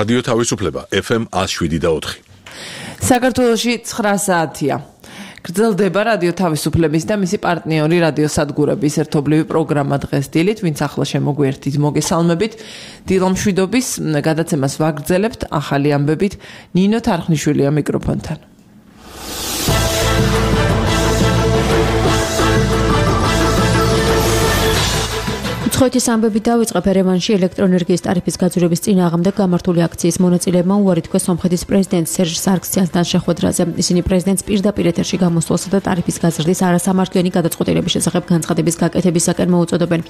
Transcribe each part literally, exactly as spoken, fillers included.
რადიო თავისუფლება ეფ ემ one oh seven და four. საქართველოში ცხრა საათია. გრძელდება რადიო თავისუფლების და მისი პარტნიორი რადიოსადგურების ერთობლივი პროგრამა დღეს დილით, ვინც ახლა შემოგვიერთით, მოგესალმებით. დილომშვიდობის გადაცემას ვაგრძელებთ ახალი ამბებით ნინო თარხნიშვილია მიკროფონთან. ხოთის ამბებით დავიწყებ ერევანში ელექტროენერგიის ტარიფის გაძვირების წინააღმდეგ გამართული აქციის მონაწილეებმა უარი თქვეს სომხეთის პრეზიდენტ სერჟ სარგსიანთან შეხვედრაზე. ისინი პრეზიდენტს პირდაპირ ეთერში გამოსვლასა და ტარიფის გაზრდის არასამართლიანი გადაწყვეტილების შესახებ განცხადების გაკეთებისაკენ მოუწოდებენ.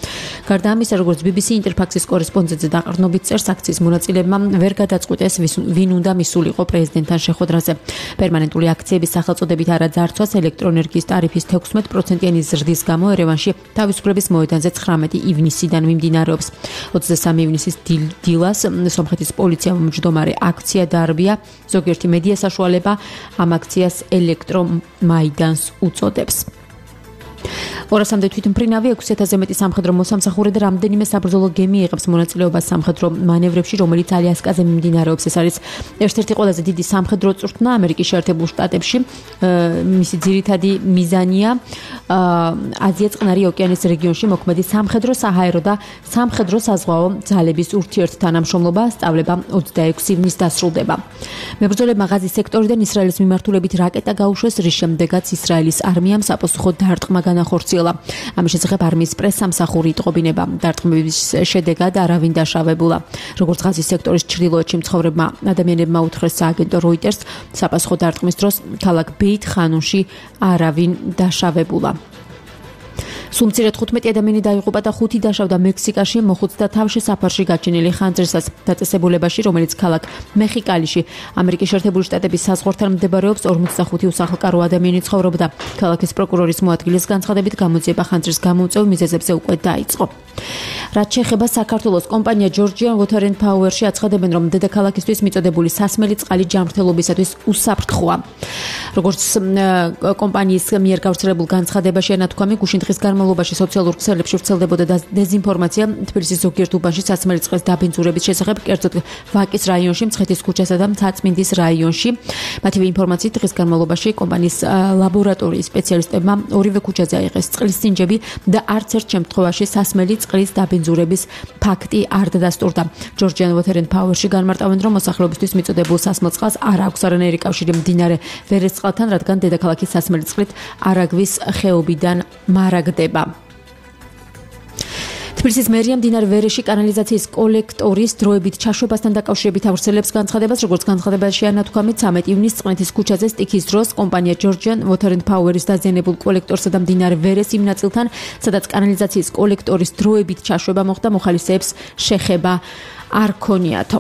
გარდა ამისა, როგორც ბი ბი სი ინტერფაქსის კორესპონდენტზე დაყრდნობით წერს, აქციის მონაწილეებმა ვერ გადაწყვიტეს ვინ უნდა მისულიყო პრეზიდენტთან შეხვედრაზე. პერმანენტული აქციების სახელწოდებით არაძარცვას ელექტროენერგიის ტარიფის თექვსმეტ პროცენტიანი ზრდის გამო ერევანში თავისუფლების მოედანზე ცხრამეტი ივნისიდან მიმდინარეობს. ოცდასამი ივნისის დილას სომხეთის პოლიციამ მჯდომარე აქცია დაარბია. ზოგიერთი მედია საშუალება ამ აქციას ელექტრომაიდანს უწოდებს. ორასამდე თვითმფრინავი ექვსი ათასზე მეტი სამხედრო მოსამსახურე და რამდენიმე საბრძოლო გემი იღებს მონაწილეობას სამხედრო მანევრებში, რომელიც ალიასკაზე მიმდინარეობს. ეს არის ერთ-ერთი ყველაზე დიდი სამხედრო წვრთნა ამერიკის შეერთებულ შტატებში. მისი ძირითადი მიზანია აზია-წყნარი ოკეანის რეგიონში მოქმედი სამხედრო, საჰაერო და სამხედრო საზღვაო ძალების ურთიერთთანამშრომლობა. სწავლება ოცდაექვსი ივნისს დასრულდება. მებრძოლებმა ღაზის სექტორიდან ისრაელის მიმართულებით რაკეტა გაუშვეს, რის შემდეგაც ისრაელის არმიამ საპასუხოდ დარტყმა განახორციელა. ამის შესახებ არმიის პრესსამსახური იტყობინება. დარტყმების შედეგად არავინ დაშავებულა. როგორც ღაზის სექტორის ჩრდილოეთში მცხოვრებმა ადამიანებმა უთხრეს სააგენტო როიტერს, საპასუხო დარტყმის დროს ქალაქ ბეით-ხანუნში არავინ დაშავებულა. სულ მცირე თხუთმეტი ადამიანი დაიღუპა და ხუთი დაშავდა მექსიკაში მოხუცთა თავში საფარში გაჩენილი ხანძრისას დაწესებულებაში, რომელიც ქალაქ მეხიკალიში ამერიკის შეერთებული შტატების საზღვართან მდებარეობს. ორმოცდახუთი უსახლკარო ადამიანი ცხოვრობდა. ქალაქის პროკურორის მოადგილის განცხადებით გამოძიება ხანძრის გამომწვევ მიზეზებზე უკვე დაიწყო. რაც შეეხება საქართველოს, კომპანია Georgian Water and Power-ში აცხადებენ, რომ დედაქალაქისთვის მიწოდებული სასმელი წყალი ჯანმრთელობისათვის უსაფრთხოა. როგორც კომპანიის მიერ გავრცელებულ განცხადებაში ანათქვამი, გუშინ დღის განმავლობაში სოციალურ ქსელებში ვრცელდებოდა დეზინფორმაცია თბილისის ზოგიერთ უბანში სასმელი წყლის დაბინძურების შესახებ, კერძოდ ვაკის რაიონში, მცხეთის ქუჩასა და მცაწმინდის რაიონში. მათივე ინფორმაციით დღის განმავლობაში კომპანიის ლაბორატორიის სპეციალისტებმა ორივე ქუჩაზე აიღეს წყლის სინჯები და არც ერთ შემთხვევაში სასმელი წყლის დაბინძურების ფაქტი არ დადასტურდა. Georgian Water and Power-ში განმარტავენ, რომ მოსახლეობისთვის მიწოდებულ სასმელ წყალს არ აქვს არანაირი კავშირი მდინარე ვერესწყალთან, რადგან დედაქალაქის სასმელი წყლით არაგვის ხეობიდან მარაგდება. თბილისის მერია მდინარე ვერეში კანალიზაციის კოლექტორის დროებით ჩაშვებასთან დაკავშირებით ავრცელებს განცხადებას, როგორც განცხადებაში ანათქვამით, ცამეტი ივნისს წყნეთის ქუჩაზე სტიქის დროს კომპანია Georgian Water and Power-ის დაზიანებულ კოლექტორსა და მდინარე ვერეს იმ ნაწილთან, სადაც კანალიზაციის კოლექტორის დროებით ჩაშვება მოხდა, მოხალისეებს შეხება არ ქონიათო.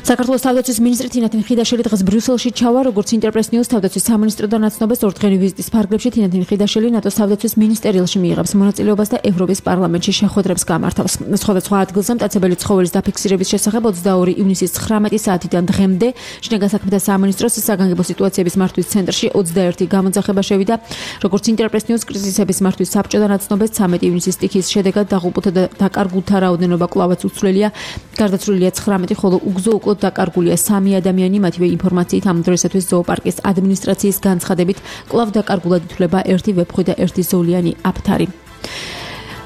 საქართველოს თავდაცვის მინისტრი თინათინ ხიდაშელი დღეს ბრიუსელში ჩავა, როგორც ინტერპრეს ნიუს თავდაცვის სამინისტროდან აცნობას ორდღიანი ვიზიტის ფარგლებში თინათინ ხიდაშელი ნატოს თავდაცვის მინისტერიალში მიიღებს მონაწილეობას და ევროპის პარლამენტში შეხვედრებს გამართავს. სხვადასხვა ადგილზე მტაცებელი ცხოველის დაფიქსირების შესახებ ოცდაორი ივნისის ცხრამეტი საათიდან დღემდე შინაგან საქმეთა სამინისტროს საგანგებო სიტუაციების მართვის ცენტრში ოცდაერთი გამოძახება შევიდა. როგორც ინტერპრეს ნიუს კრიზისების მართვის საბჭოდან აცნობას, ცამეტი ივნისის სტიქის შედეგად დაღუპულთა და დაკარგულთა რაოდენობა კვლავაც უცვლელია. გარდაცვლილია ცხრამეტი, ხოლო უგზო უკვე დაკარგულია სამი ადამიანი. მათივე ინფორმაციით ამ დროისათვის ზოოპარკის ადმინისტრაციის განცხადებით კვლავ დაკარგულად ითვლება ერთი ვეფხვი და ერთი ზოლიანი აფთარი.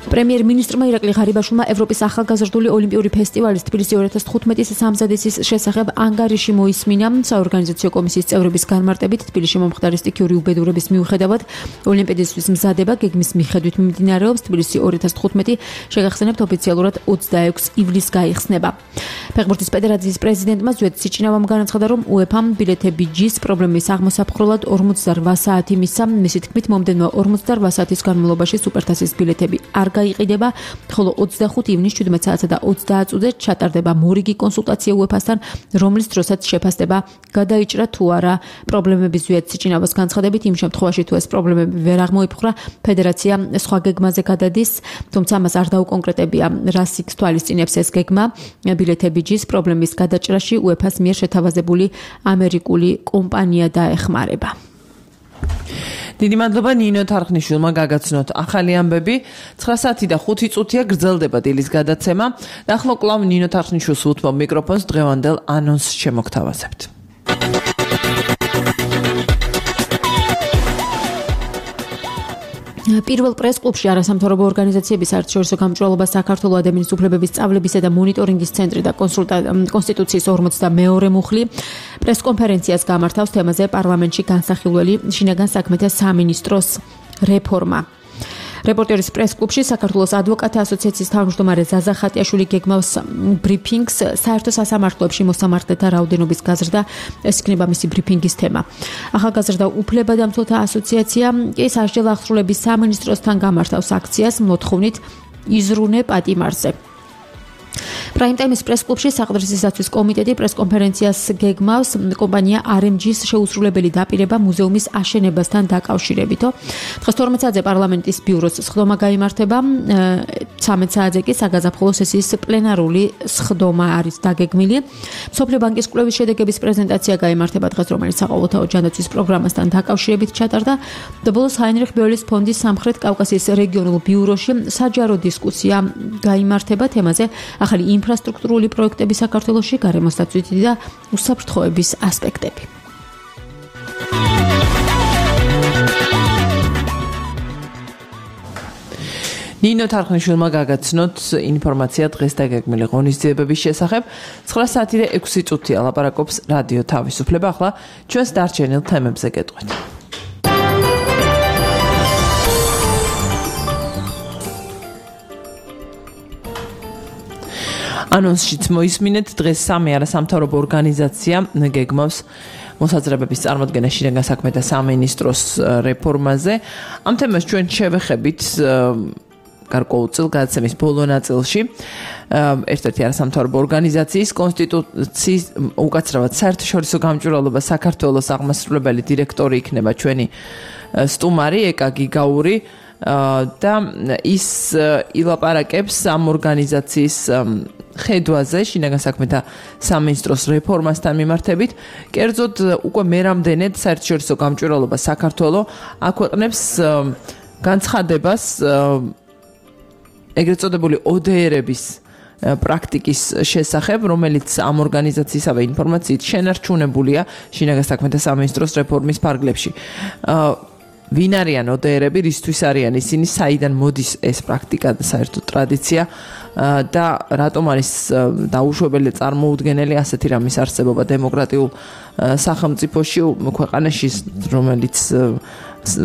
პრემიერ-მინისტრმა ირაკლი ღარიბაშვილმა ევროპის ახალგაზრდული ოლიმპიური ფესტივალის თბილისი ორი ათას თხუთმეტის სამზადისის შესახებ ანგარიში მოისმინა. საორგანიზაციო კომისიის წევრების განმარტებით, თბილისში მომხდარი სტიქიური უბედურების მიუხედავად ოლიმპიადისთვის მზადება გეგმის მიხედვით მიმდინარეობს. თბილისი ორი ათას თხუთმეტი შეგახსენებთ ოფიციალურად ოცდაექვსი ივლისს გაიხსნება. ფეხბურთის ფედერაციის პრეზიდენტმა ზვიად სიჩინავამ განაცხადა, რომ უეფამ ბილეთები ჯის პრობლემის აღმოსაფხვრელად ორმოცდარვა საათი მისცა. მისი თქმით, მომდევნო ორმოცდარვა საათის განმავლობაში სუპერთასის ბილეთები არ გაიყიდება, ხოლო ოცდახუთი ივნისს შვიდმეტ საათსა და ოცდაათ წუთზე ჩატარდება მორიგი კონსულტაცია უეფასთან, რომლის დროსაც შეფასდება გადაიჭრა თუ არა პრობლემების ზვიად სიჩინავას განცხადებით. იმ შემთხვევაში თუ ეს პრობლემები ვერ აღმოიფხვრა, ფედერაცია სხვა გეგმაზე გადადის, თუმცა ამას არ დაუკონკრეტებია, რას იქ თვალისწინებს ეს გეგმა. ბილეთები ჯის პრობლემის გადაჭრაში უეფას მიერ შეთავაზებული ამერიკული კომპანია დაეხმარება. დიდი მადლობა ნინო თარხნიშვილმა გაგაცნოთ ახალი ამბები. ცხრა საათი და ხუთი წუთია გრძელდება დილის გადაცემა. და ახლა კლავ ნინო თარხნიშვილს უთმობ მიკროფონს დღევანდელ ანონსს შემოგთავაზებთ. პირველ პრეს-კლუბში არასამთავრობო ორგანიზაციების საერთაშორისო გამჭვირვალობა საქართველოს ადამიანის უფლებების სწავლებისა და მონიტორინგის ცენტრი და კონსტიტუციის ორმოცდამეორე მუხლი პრეს-კონფერენციას გამართავს თემაზე პარლამენტში განსახილველი შინაგან საქმეთა სამინისტროს რეფორმა. რეპორტერის პრეს-კლუბში საქართველოს ადვოკატთა ასოციაციის თავმჯდომარე ზაზა ხატიაშვილი გეგმავს ბრიფინგს საერთო სასამართლოებში მოსამართლეთა რაოდენობის გაზრდა. ეს იქნება მისი ბრიფინგის თემა. ახალგაზრდა უფლებადამცველთა ასოციაცია კი სასჯელ აღსრულების სამინისტროსთან გამართავს აქციას მოთხოვნით იზრუნე პატიმარზე. პრაიმტაიმის პრეს-კლუბში საყდრისისათვის კომიტეტი პრეს-კონფერენციას გეგმავს კომპანია არ ემ ჯის შეუსრულებელი დაპირება მუზეუმის აშენებასთან დაკავშირებითო. დღეს თორმეტ საათზე პარლამენტის ბიუროს სხდომა გაიმართება. ცამეტ საათზე კი საგაზაფხულო სესიის პლენარული სხდომა არის დაგეგმილი. მსოფლიო ბანკის კვლევის შედეგების პრეზენტაცია გაიმართება დღეს, რომელიც საყოველთაო ჯანდაცვის პროგრამასთან დაკავშირებით ჩატარდა. ბოლოს ჰაინრიხ ბეოლის ფონდის სამხრეთ კავკასიის რეგიონულ ბიუროში საჯარო დისკუსია გაიმართება თემაზე ახალი ინფრასტრუქტურული პროექტები საქართველოში, გარემოს დაცვითი და უსაფრთხოების ასპექტები. ნინო თარხნიშვილმა გაგაცნოთ ინფორმაცია დღეს დაგეგმილი ღონისძიებების შესახებ. ცხრა საათი და ექვსი წუთია ლაპარაკობს რადიო თავისუფლება. ახლა ჩვენს დარჩენილ თემებზე გეტყვით. ანონსშიც მოისმინეთ, დღეს სამი არასამთავრობო ორგანიზაცია გეგმავს მოსაზრებების წარმოდგენა შინაგან საქმეთა სამინისტროს რეფორმაზე. ამ თემას ჩვენ შევეხებით გარკვეულ გადაცემის ბოლო ნაწილში. ერთ-ერთი არასამთავრობო ორგანიზაციის კონსტიტუციის უკაცრავად საერთაშორისო გამჭვირვალობა საქართველოს აღმასრულებელი დირექტორი იქნება ჩვენი სტუმარი ეკა გიგაური. და ის ილაპარაკებს ამ ორგანიზაციის ხედვაზე შინაგან საქმეთა სამინისტროს რეფორმასთან მიმართებით. კერძოდ უკვე მერამდენედ საერთაშორისო გამჭვირვალობა საქართველოს აქვეყნებს განცხადებას ეგრეთ წოდებული ო დე ერების პრაქტიკის შესახებ, რომელიც ამ ორგანიზაციისავე ინფორმაციით შენარჩუნებულია შინაგან საქმეთა სამინისტროს რეფორმის ფარგლებში. ვინ არიან ო დე ერები, რისთვის არიან ისინი, საიდან მოდის ეს პრაქტიკა და საერთო ტრადიცია და რატომ არის დაუშვებელი წარმოუდგენელი ასეთი რამის არსებობა დემოკრატიულ სახელმწიფოში, ქვეყანაში, რომელიც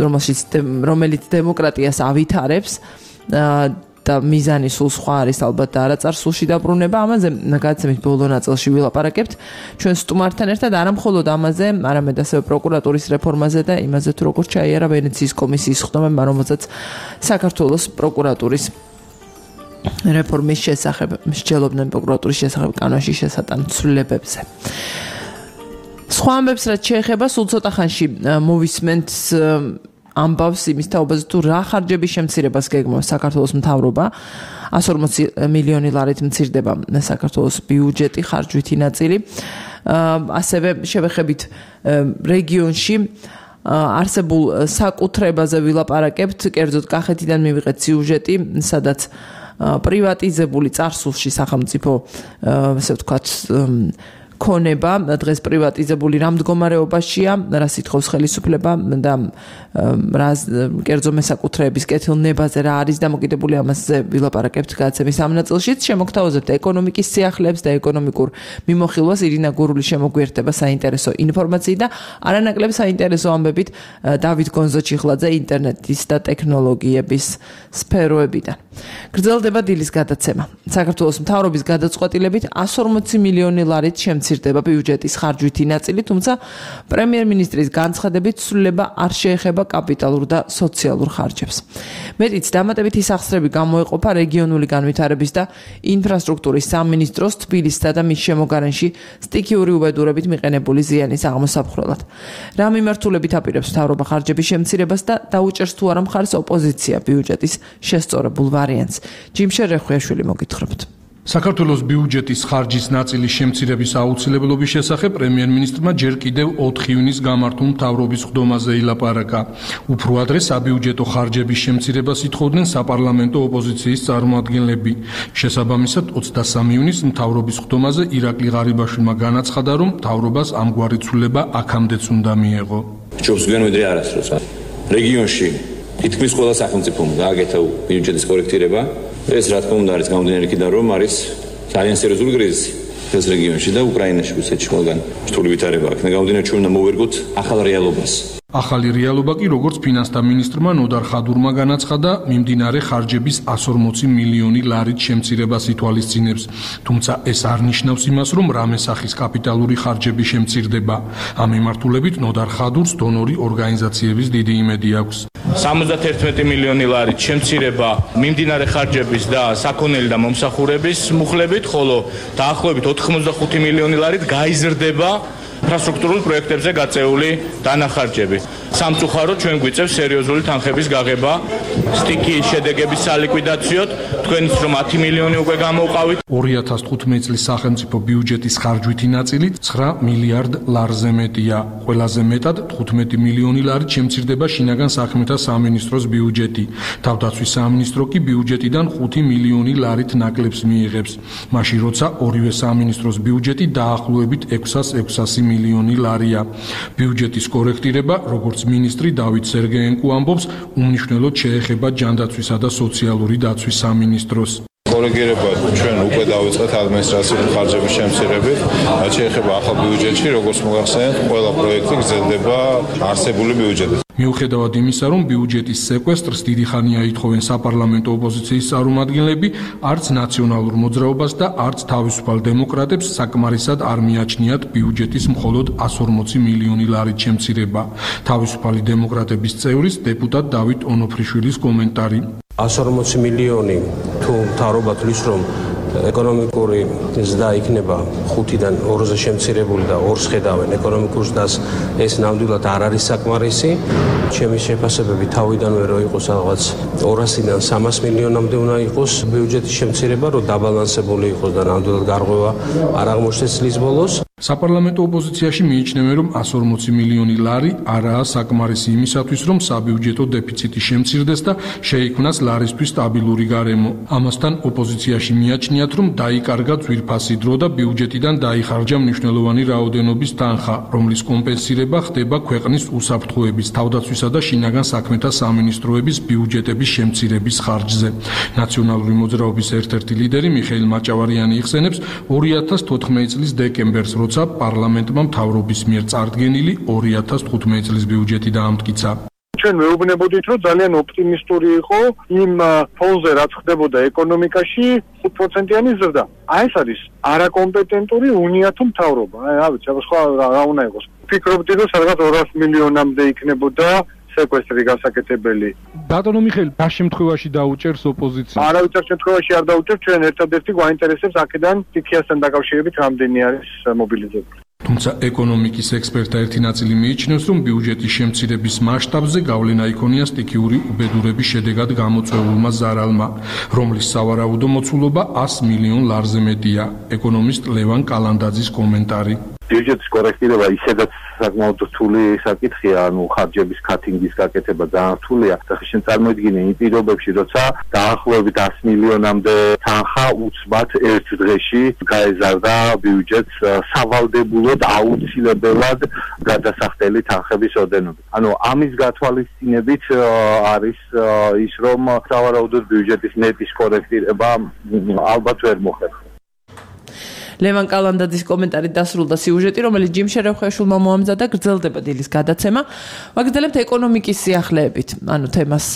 რომელშიც რომელიც დემოკრატიას ავითარებს და მიზანი სულ სხვა არის ალბათ და არაწარსულში დაბრუნება. ამაზე გადაცემის ბოლო ნაწილში ვილაპარაკებთ ჩვენ სტუმართან ერთად, არა მხოლოდ ამაზე, არამედ ასევე პროკურატურის რეფორმაზე და იმაზე თუ როგორ ჩაიარა ვენეციის კომისიის სხდომებმა, რომელზეც საქართველოს პროკურატურის რეფორმის შესახებ მსჯელობდნენ პროკურატურის შესახებ კანონში შესატან ცვლილებებზე. სხვა ამბებს რაც შეეხება, სულ ცოტა ხანში მოვისმენთ ამბავს იმის თაობაზე თუ რა ხარჯების შემცირებას გეგმავს საქართველოს მთავრობა. εκατს ორმოცი მილიონი ლარით მცირდება საქართველოს ბიუჯეტი, ხარჯვითი ნაწილი. ასევე შევეხებით რეგიონში არსებულ საკუთრებაზე ვილაპარაკებთ, კერძოდ კახეთიდან მივიღეთ სიუჟეტი, სადაც პრივატიზებული წარსულში სახელმწიფო, ასე ვთქვათ, ქონება დღეს პრივატიზებული რა მდგომარეობაშია, რა სიტყვის ხელისუფლება და რა კერძო მესაკუთრეების კეთილნებაზე რა არის დამოკიდებული, ამაზე ვილაპარაკებთ გადაცემის ამ ნაწილშიც. შემოგთავაზებთ ეკონომიკის სიახლეებს და ეკონომიკურ მიმოხილვას. ირინა გურული შემოგვიერთდება საინტერესო ინფორმაციით და არანაკლებ საინტერესო ამბებით დავით გონზოჩიხლაძე ინტერნეტის და ტექნოლოგიების სფეროებიდან. გრძელდება დილის გადაცემა. საქართველოს მთავრობის გადაწყვეტილებით εκατს ორმოცი მილიონი ლარით შემცირდება ბიუჯეტის ხარჯვითი ნაწილი, თუმცა პრემიერ-მინისტრის განცხადებით ცვლილება არ შეეხება კაპიტალურ და სოციალურ ხარჯებს. მეტიც დამატებითი სახსრები გამოეყოფა რეგიონული განვითარების და ინფრასტრუქტურის სამინისტროს თბილისსა და მის შემოგარენში სტიქიური უბედურებით მიყენებული ზიანის აღმოსაფხრელად. რა მიმართულებით აპირებს მთავრობა ხარჯების შემცირებას და დაუჭერს თუ არა მხარს ოპოზიცია ბიუჯეტის შესწორებულ ვარიანტს. ჯიმშე რეხვიაშვილი მოგითხრობთ. საქართველოს ბიუჯეტის ხარჯის ნაწილის შემცირების აუცილებლობის შესახებ პრემიერ-მინისტრმა ჯერ კიდევ ოთხ ივნის გამართულ მთავრობის ხდომაზე ილაპარაკა. Უფრო ადრე საბიუჯეტო ხარჯების შემცირებას ითხოვდნენ საპარლამენტო ოპოზიციის წარმომადგენლები. შესაბამისად, ოცდასამი ივნის მთავრობის ხდომაზე ირაკლი ღარიბაშვილმა განაცხადა, რომ მთავრობას ამგვარი ცვლილება აქამდეც უნდა მიეღო. ჯობს გვიანვიდრე არასდროს. რეგიონში თითქმის ყველა სახელმწიფომ გააკეთა ბიუჯეტის კორექტირება. ეს რა თქმა უნდა არის გამომდინარე იქიდან, რომ არის ძალიან სერიოზული კრიზისი ეს რეგიონში და უკრაინაში რუსეთში ყველგან რთული ვითარება აქვს. გამომდინარე ჩვენ უნდა მოვერგოთ ახალ რეალობას. ახალი რეალობა კი როგორც ფინანსთა მინისტრმა ნოდარ ხადურმა განაცხადა, მიმდინარე ხარჯების εκατს ორმოცი მილიონი ლარით შემცირებას ითვალისწინებს. თუმცა ეს არ ნიშნავს იმას, რომ რამე სახის კაპიტალური ხარჯები შემცირდება. ამ მიმართულებით ნოდარ ხადურს დონორი ორგანიზაციების დიდი იმედი აქვს. სამოცდაერთმეტი მილიონი ლარით შემცირება მიმდინარე ხარჯების და საქონელი და მომსახურების მუხლებით, ხოლო დაახლოებით ოთხმოცდახუთი მილიონი ლარით გაიზრდება ინფრასტრუქტურულ პროექტებზე გაწეული დანახარჯები. სამწუხაროდ ჩვენ გვიწევს სერიოზული თანხების გაღება სტიქიის შედეგების სალიკვიდაციოდ, თქვენიც რომ ათი მილიონი უკვე გამოვყავით. ორი ათას თხუთმეტი წლის სახელმწიფო ბიუჯეტის ხარჯვითი ნაწილი ცხრა მილიარდ ლარზე მეტია. ყველაზე მეტად თხუთმეტი მილიონი ლარით შემცირდება შინაგან საქმეთა სამინისტროს ბიუჯეტი. თავდაცვის სამინისტრო კი ბიუჯეტიდან ხუთი მილიონი ლარით ნაკლებს მიიღებს. მაშინ როცა ორივე სამინისტროს ბიუჯეტი დაახლოებით ექვსას ექვსასი მილიონი ლარია. ბიუჯეტის კორექტირება, როგორც მინისტრი დავით სერგეენკო ამბობს, უმნიშვნელოდ შეეხება ჯანდაცვისა და სოციალური დაცვის სამინისტროს. კორექტირება ჩვენ უკვე დავიწყეთ ადმინისტრაციული ხარჯების შემცირებით, რაც შეეხება ახალ ბიუჯეტში, როგორც მოგახსენეთ, ყველა პროექტი გრძელდება არსებული ბიუჯეტით. მიუხედავად იმისა, რომ ბიუჯეტის სეკვესტრს დიდი ხანია ითხოვენ საპარლამენტო ოპოზიციის წარმომადგენლები, არც ნაციონალურ მოძრაობას და არც თავისუფალ დემოკრატებს საკმარისად არ მიაჩნიათ ბიუჯეტის მხოლოდ εκατს ორმოცი მილიონი ლარით შემცირება. თავისუფალი დემოკრატების წევრის დეპუტატ დავით ონოფრიშვილის კომენტარი. εκατს ორმოცი მილიონი თუ მთავრობა თვლის, რომ ეკონომიკური ზრდა იქნება ხუთიდან ორზე შემცირებული და ორს ხედავენ ეკონომიკურ ზრდას, ეს ნამდვილად არ არის საკმარისი. ჩემი შეფასებები თავიდანვე რო იყოს რაღაც ორასიდან სამას მილიონამდე უნდა იყოს ბიუჯეტის შემცირება, რომ დაბალანსებული იყოს და ნამდვილად გარღვევა არ აღმოჩნდეს წლის ბოლოს. საპარლამენტო ოპოზიციაში მიიჩნევენ, რომ εκατს ორმოცი მილიონი ლარი არაა საკმარისი იმისათვის, რომ საბიუჯეტო დეფიციტი შემცირდეს და შეიქმნას ლარისთვის სტაბილური გარემო. ამასთან ოპოზიციაში მიაჩნიათ, რომ დაიკარგა ძვირფასი დრო და ბიუჯეტიდან დაიხარჯა მნიშვნელოვანი რაოდენობის თანხა, რომლის კომპენსირება ხდება ქვეყნის უსაფრთხოების, თავდაცვისა და შინაგან საქმეთა სამინისტროების ბიუჯეტების შემცირების ხარჯზე. ნაციონალური მოძრაობის ერთ-ერთი ლიდერი მიხეილ მაჭავარიანი იხსენებს ორი ათას თოთხმეტი წლის დეკემბერს, როცა პარლამენტმა მთავრობის მიერ წარდგენილი ორი ათას თხუთმეტი წლის ბიუჯეტი დაამტკიცა. ჩვენ მეუბნებოდით, რომ ძალიან ოპტიმისტური იყო იმ ფონზე, რაც ხდებოდა ეკონომიკაში, ხუთ პროცენტიანი ზრდა. აი ეს არის არაკომპეტენტური უნიათო მთავრობა. აი რა ვიცი, სხვა რა უნდა იყოს. ფიქრობდი, რომ სადღაც ორასი მილიონამდე იქნებოდა სეკვესტრი გასაკეთებელი. ბატონო მიხეილ, რა შემთხვევაში დაუჭერს ოპოზიცია? არავითარ შემთხვევაში არ დაუჭერს, ჩვენ ერთადერთი გვაინტერესებს აქედან სტიქიასთან დაკავშირებით რამდენი არის მობილიზებული. თუმცა ეკონომიკის ექსპერტთა ერთი ნაწილი მიიჩნევს, რომ ბიუჯეტის შემცირების მასშტაბზე გავლენა იქონია სტიქიური უბედურების შედეგად გამოწვეულმა ზარალმა, რომლის სავარაუდო მოცულობა ას მილიონ ლარზე მეტია. ეკონომისტ ლევან კალანდაძის კომენტარი. ბიუჯეტის კორექტირება ისედაც საკმაოდ რთული საკითხია, ანუ ხარჯების კატინგის გაკეთება ძალიან რთულია. ხშირ წარმოიდგინე იმ პირობებში, როცა დაახლოებით ას მილიონამდე თანხა უცბად ერთ დღეში გაეზარდა ბიუჯეტს სავალდებულოდ აუცილებლად გადასახდელი თანხების ოდენობით. ანუ ამის გათვალისწინებით არის ის, რომ სავარაუდოდ ბიუჯეტის ნეტის კორექტირება ალბათ ვერ მოხერხდება. ლევან კალანდაძის კომენტარით დასრულდა სიუჟეტი, რომელიც ჯიმ შერევხეშვილმა მოამზადა, გრძელდება დილის გადაცემა. ვაგრძელებთ ეკონომიკის სიახლეებით, ანუ თემას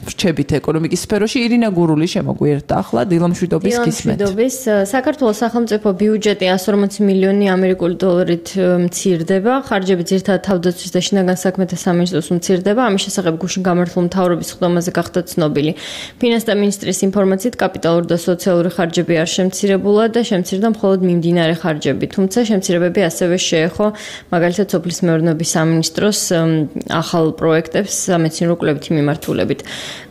ვრჩებით ეკონომიკის სფეროში. ირინა გურული შემოგვიერთდა ახლა დილამშვიდობის კისმეთ. დილამშვიდობის. საქართველოს სახელმწიფო ბიუჯეტი εκατს ორმოცი მილიონი ამერიკული დოლარით მცირდება. ხარჯები ძირითადად თავდაცვის და შინაგან საქმეთა სამინისტროს მცირდება. ამის შესახებ გუშინ გამართულ მთავრობის ხდომაზე გახდა ცნობილი. ფინანსთა მინისტრის ინფორმაციით კაპიტალური და სოციალური ხარჯები არ შემცირებულა და შემცირდა მხოლოდ მიმდინარე ხარჯები, თუმცა შემცირებები ასევე შეეხო მაგალითად სოფლის მეურნეობის სამინისტროს ახალ პროექტებს სამეცნიერო კვლევითი მიმართულებით.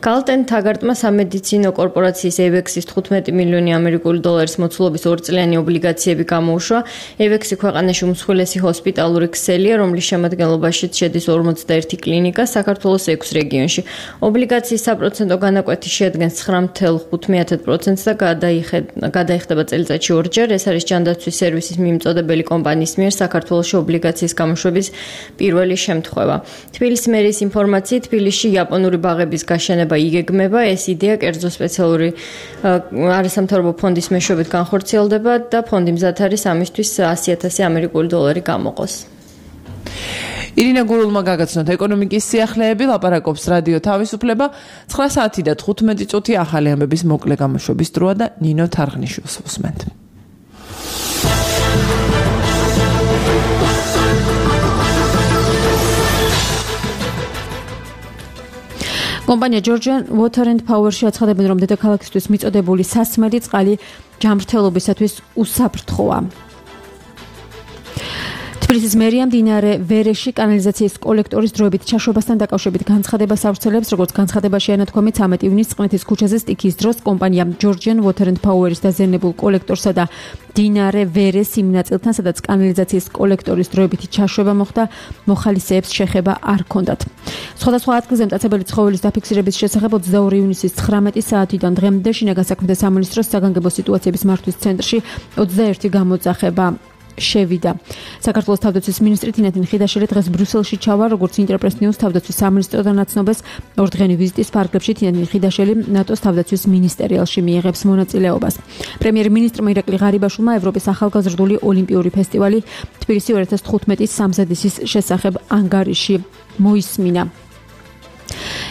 გალტენ თაგარტმა სამედიცინო კორპორაციის ევექსის თხუთმეტი მილიონი ამერიკული დოლარის მოცულობის ორწლიანი ობლიგაციები გამოუშვა. ევექსი ქვეყანაში უმსხვილესი ჰოსპიტალური ქსელია, რომლის შემადგენლობაშიც შედის ორმოცდაერთი კლინიკა საქართველოს ექვს რეგიონში. ობლიგაციის საპროცენტო განაკვეთი შეადგენს ცხრა ათეული პროცენტს და გადაიხდება წელიწადში ორჯერ. ეს არის ჯანდაცვის სერვისის მიმწოდებელი კომპანიის მიერ საქართველოში ობლიგაციის გამოშვების პირველი შემთხვევა. თბილისის მერის ინფორმაციით, თბილისში იაპონური ბაღების გაშენება იგეგმება. ეს იდეა კერძო სპეციალური არასამთავრობო ფონდის მეშვეობით განხორციელდება და ფონდი მზად არის ამისთვის ასი ათასი ამერიკული დოლარი გამოყოს. ირინა გურულმა გაგაცნოთ ეკონომიკის სიახლეები, ლაპარაკობს რადიო თავისუფლება. ცხრა საათი და თხუთმეტი წუთი ახალი ამბების მოკლე გამოშვების დროა და ნინო თარღნიშვილს უსმენთ. კომპანია Georgian Water and Power-ში აცხადებენ, რომ დედაქალაქისთვის მიწოდებული სასმელი წყალი ჯამრთელობისათვის უსაფრთხოა. თბილისის მერია მდინარე ვერეში კანალიზაციის კოლექტორის დროებით ჩაშვებასთან დაკავშირებით განცხადებას ავრცელებს, როგორც განცხადებაში ანათქვამით ცამეტი ივნისს წყნეთის ქუჩაზე სტიქიის დროს კომპანია Georgian Water and Power-ის დაზიანებულ კოლექტორსა და მდინარე ვერეს იმ ნაწილთან, სადაც კანალიზაციის კოლექტორის დროებითი ჩაშვება მოხდა, მოხალისეებს შეხება არ ჰქონდათ. სხვადასხვა ადგილზე მტაცებელი ცხოველის დაფიქსირების შესახებ ოცდაორი ივნისის ცხრამეტი საათიდან დღემდე შინაგან საქმეთა სამინისტროს საგანგებო სიტუაციების მართვის ცენტრში ოცდაერთი გამოძახება შევიდა. საქართველოს თავდაცვის მინისტრი თინათინ ხიდაშელი დღეს ბრიუსელში ჩავა, როგორც ინტერპრეს ნიუს თავდაცვის სამინისტროდან აცნობას ორდღიანი ვიზიტის ფარგლებში თინათინ ხიდაშელი ნატოს თავდაცვის მინისტერიალში მიიღებს მონაწილეობას. პრემიერ-მინისტრმა ირაკლი ღარიბაშვილმა ევროპის ახალგაზრდული ოლიმპიური ფესტივალი თბილისი ორი ათას თხუთმეტის სამზადისის შესახებ ანგარიში მოისმინა.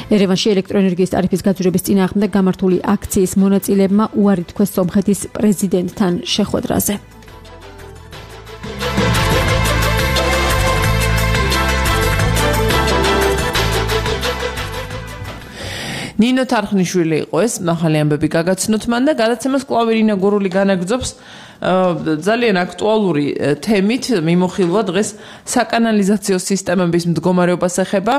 ერევანში ელექტროენერგიის ტარიფის გაძვირების წინააღმდეგ გამართული აქციის მონაწილეებმა უარი თქვეს სომხეთის პრეზიდენტთან შეხვედრაზე. ნინო თარხნიშვილი იყო ეს, ახალი ამბები გაგაცნოთ მან და გადაცემას კვლავ ირინა გურული განაგრძობს ძალიან აქტუალური თემით. მიმოხილვა დღეს საკანალიზაციო სისტემების მდგომარეობას ეხება